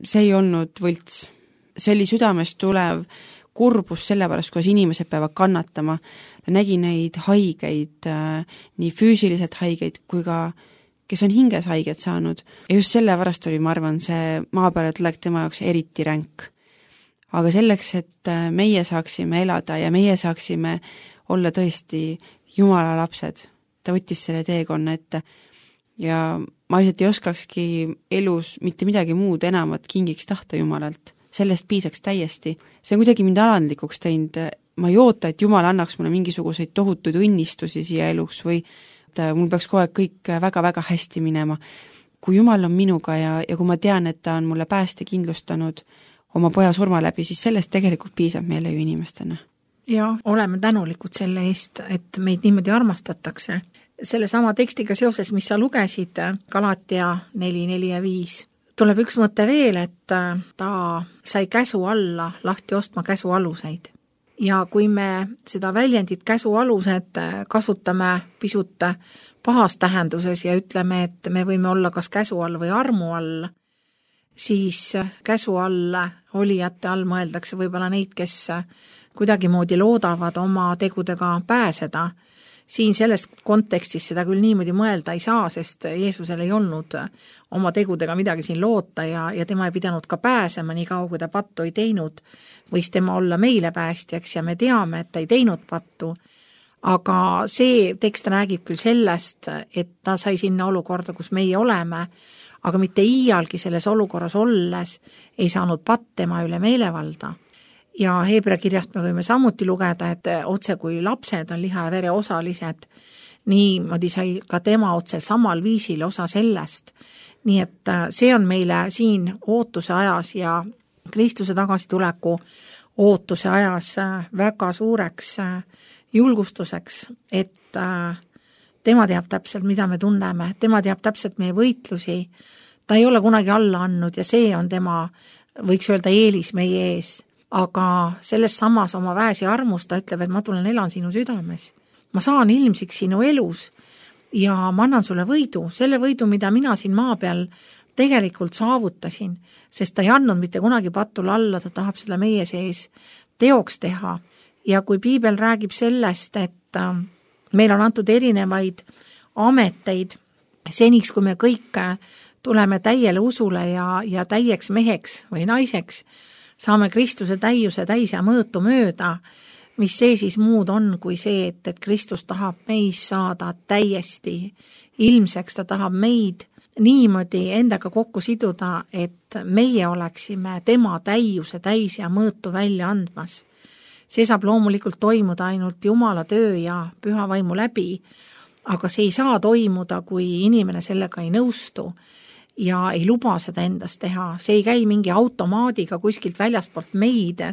see ei olnud võlts. See oli südamest tulev kurbus selle pärast, kuidas inimesed peavad kannatama. Ta nägi neid haigeid, nii füüsiliselt haigeid kui ka kes on hinges haiget saanud. Ja just selle pärast oli, ma arvan, see maa peale tulek tema jaoks eriti ränk. Aga selleks, et meie saaksime elada ja meie saaksime olla tõesti Jumala lapsed, ta võttis selle teekonna ette ja ma lihtsalt ei oskakski elus mitte midagi muud enamat kingiks tahta Jumalalt. Sellest piisaks täiesti. See on kuidagi mind alandlikuks teinud. Ma ei oota, et Jumal annaks mulle mingisuguseid tohutuid õnnistusi siia elus või mul peaks kogu aeg kõik väga-väga hästi minema. Kui Jumal on minuga ja kui ma tean, et ta on mulle pääste kindlustanud oma poja surma läbi, siis sellest tegelikult piisab meile ju inimestena. Ja oleme tänulikud selle eest, et meid niimoodi armastatakse. Selle sama tekstiga seoses, mis sa lugesid, Galatia 4, 4 ja 5, tuleb üks mõte veel, et ta sai käsu alla lahti ostma käsualuseid. Ja kui me seda väljendit käsualused kasutame pisut pahas tähenduses ja ütleme, et me võime olla kas käsu all või armu all, siis käsu all olijate all mõeldakse võib-olla neid, kes kuidagi moodi loodavad oma tegudega pääseda. Siin selles kontekstis seda küll niimoodi mõelda ei saa, sest Jeesusel ei olnud oma tegudega midagi siin loota ja tema ei pidanud ka pääsema nii kaua, kui ta pattu ei teinud. Võis tema olla meile päästjaks ja me teame, et ta ei teinud pattu. Aga see tekst räägib küll sellest, et ta sai sinna olukorda, kus meie oleme, aga mitte iialgi selles olukorras olles ei saanud patt tema üle meelevalda. Ja Heebrea kirjast me võime samuti lugeda, et otse kui lapsed on liha ja vere osalised, niimoodi sai ka tema otse samal viisil osa sellest. Nii et see on meile siin ootuse ajas ja Kristuse tagasituleku ootuse ajas väga suureks julgustuseks, et tema teab täpselt, mida me tunneme, tema teab täpselt meie võitlusi, ta ei ole kunagi alla andnud ja see on tema, võiks öelda, eelis meie ees. Aga selles samas oma väes ja armus ta ütleb, et ma tulen elan sinu südames. Ma saan ilmsiks sinu elus ja ma annan sulle võidu, selle võidu, mida mina siin maa peal tegelikult saavutasin, sest ta ei andnud mitte kunagi patule alla, ta tahab selle meie sees teoks teha. Ja kui piibel räägib sellest, et meil on antud erinevaid ameteid seniks, kui me kõik tuleme täiele usule ja täieks meheks või naiseks, saame Kristuse täiuse täis ja mõõtu mööda, mis see siis muud on kui see, et Kristus tahab meis saada täiesti ilmseks, ta tahab meid niimoodi endaga kokku siduda, et meie oleksime tema täiuse täis ja mõõtu välja andmas. See saab loomulikult toimuda ainult Jumala töö ja püha vaimu läbi, aga see ei saa toimuda, kui inimene sellega ei nõustu ja ei luba seda endast teha. See ei käi mingi automaadiga kuskilt väljastpoolt meid,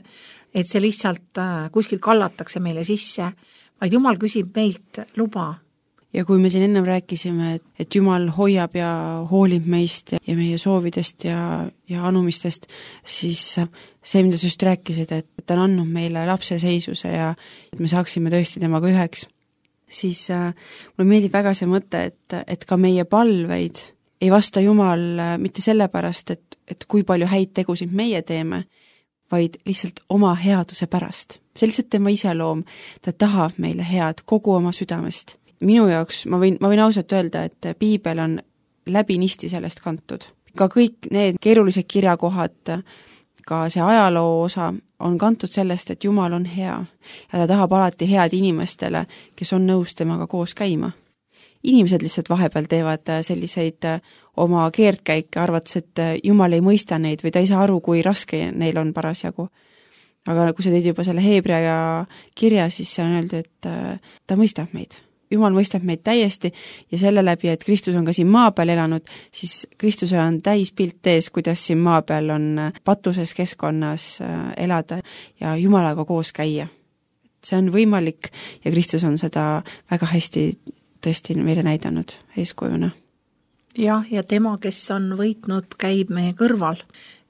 et see lihtsalt kuskilt kallatakse meile sisse, vaid Jumal küsib meilt luba. Ja kui me siin ennem rääkisime, et Jumal hoiab ja hoolib meist ja meie soovidest ja anumistest, siis see, mida sa just rääkisid, et ta on andnud meile lapse seisuse ja et me saaksime tõesti temaga üheks, siis mulle meeldib väga see mõte, et ka meie palveid ei vasta Jumal mitte sellepärast, et kui palju häid tegusid meie teeme, vaid lihtsalt oma headuse pärast. See lihtsalt tema iseloom, ta tahab meile head kogu oma südamest. Minu jaoks, ma võin ausalt öelda, et piibel on läbinisti sellest kantud. ka kõik need keerulised kirjakohad, ka see ajaloo osa on kantud sellest, et Jumal on hea ja ta tahab alati head inimestele, kes on nõus temaga koos käima. Inimesed lihtsalt vahepeal teevad selliseid oma keerdkäike, arvates, et Jumal ei mõista neid või ta ei saa aru, kui raske neil on parasjagu. Aga kui sa teed juba selle Hebrea kirja, siis see on öeldud, et ta mõistab meid. Jumal mõistab meid täiesti ja selle läbi, et Kristus on ka siin maa peal elanud, siis Kristusel on täis pilt ees, kuidas siin maa peal on patuses keskkonnas elada ja Jumalaga koos käia. See on võimalik ja Kristus on seda väga hästi tõesti meile näidanud eeskujuna. Jah, ja tema, kes on võitnud, käib meie kõrval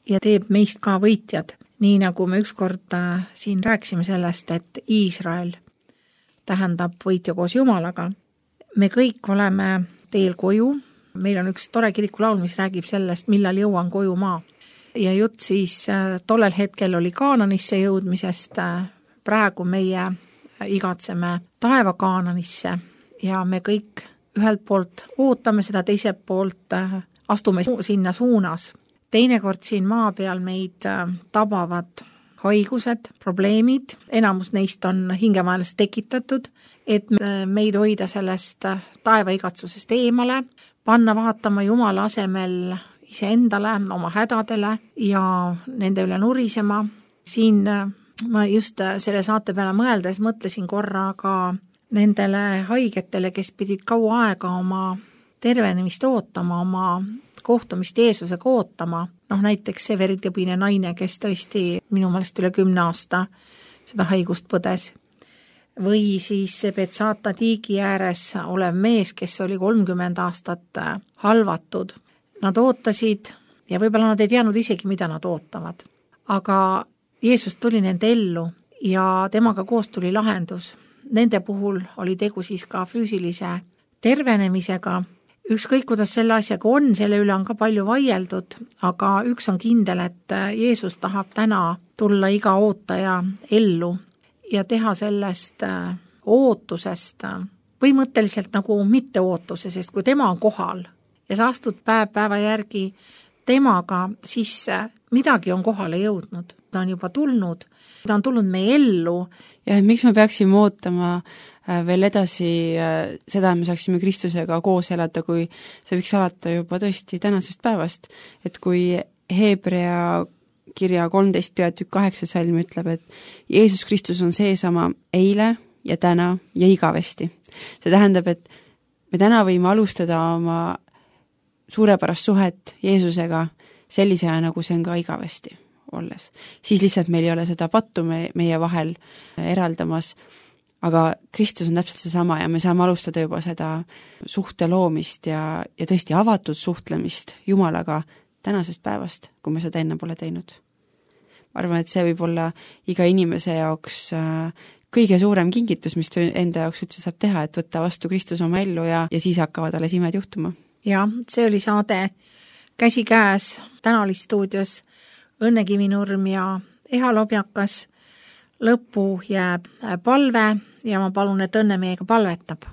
ja teeb meist ka võitjad. Nii nagu me ükskord siin rääkisime sellest, et Iisrael tähendab võitja koos Jumalaga. Me kõik oleme teel koju. Meil on üks tore kirikulaul, mis räägib sellest, millal jõuan koju maa. Ja jutt siis tollel hetkel oli Kaananisse jõudmisest, praegu meie igatseme taeva Kaananisse ja me kõik ühelt poolt ootame seda, teiselt poolt astume sinna suunas. Teinekord siin maa peal meid tabavad haigused, probleemid, enamus neist on hingemaelas tekitatud, et meid hoida sellest taevaigatsusest eemale, panna vaatama Jumala asemel iseendale, oma hädadele ja nende üle nurisema. Siin ma just selle saate peale mõeldes mõtlesin korra ka nendele haigetele, kes pidid kaua aega oma tervenemist ootama, oma kohtumist Jeesusega ootama. Näiteks see veritõbine naine, kes tõesti minu meelest üle 10 aasta seda haigust põdes. Või siis see Betsata tiigi ääres olev mees, kes oli 30 aastat halvatud. Nad ootasid ja võib-olla nad ei teadnud isegi, mida nad ootavad. Aga Jeesus tuli nende ellu ja temaga koos tuli lahendus. Nende puhul oli tegu siis ka füüsilise tervenemisega. Ükskõik, kuidas selle asjaga on, selle üle on ka palju vaieldud, aga üks on kindel, et Jeesus tahab täna tulla iga ootaja ellu ja teha sellest ootusest põhimõtteliselt nagu mitte ootuse, sest kui tema on kohal ja sa astud päeva järgi temaga, siis midagi on kohale jõudnud. Ta on juba tulnud, ta on tulnud meie ellu. Ja miks me peaksime ootama veel edasi seda, et me saaksime Kristusega koos elada, kui see võiks alata juba tõesti tänasest päevast. Et kui Hebrea kirja 13 peatükk 8 salm ütleb, et Jeesus Kristus on seesama eile ja täna ja igavesti. See tähendab, et me täna võime alustada oma suurepärast suhet Jeesusega sellisena, nagu see on ka igavesti olles. Siis lihtsalt meil ei ole seda pattu meie vahel eraldamas, aga Kristus on täpselt seesama ja me saame alustada juba seda suhte loomist ja tõesti avatud suhtlemist Jumalaga tänasest päevast, kui me seda enne pole teinud. Ma arvan, et see võib olla iga inimese jaoks kõige suurem kingitus, mis enda jaoks üldse saab teha, et võtta vastu Kristus oma ellu ja siis hakkavad alles imed juhtuma. Ja see oli saade Käsikäes, täna oli stuudios Õnne Kivinurm ja Eha Lobjakas. Lõppu jääb palve ja ma palun, et Õnne meiega palvetab.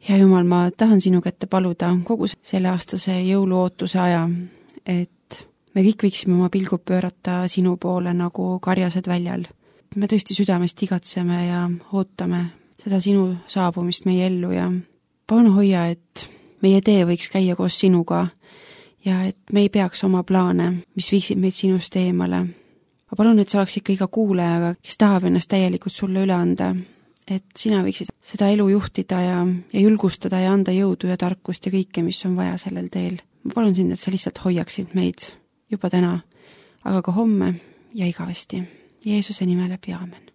Ja Jumal, ma tahan sinu kätte paluda kogu selle aastase jõuluootuse aja, et me kõik võiksime oma pilgud pöörata sinu poole nagu karjased väljal. Me tõesti südamest igatseme ja ootame seda sinu saabumist meie ellu ja palun hoia, et meie tee võiks käia koos sinuga ja et me ei peaks oma plaane, mis viiksid meid sinust eemale. Ma palun, et sa oleks ikka iga kuulajaga, kes tahab ennast täielikult sulle üle anda, et sina võiksid seda elu juhtida ja julgustada ja anda jõudu ja tarkust ja kõike, mis on vaja sellel teel. Ma palun sind, et sa lihtsalt hoiaksid meid juba täna, aga ka homme ja igavesti. Jeesuse nime läbi, aamen.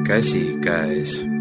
Käsikäes.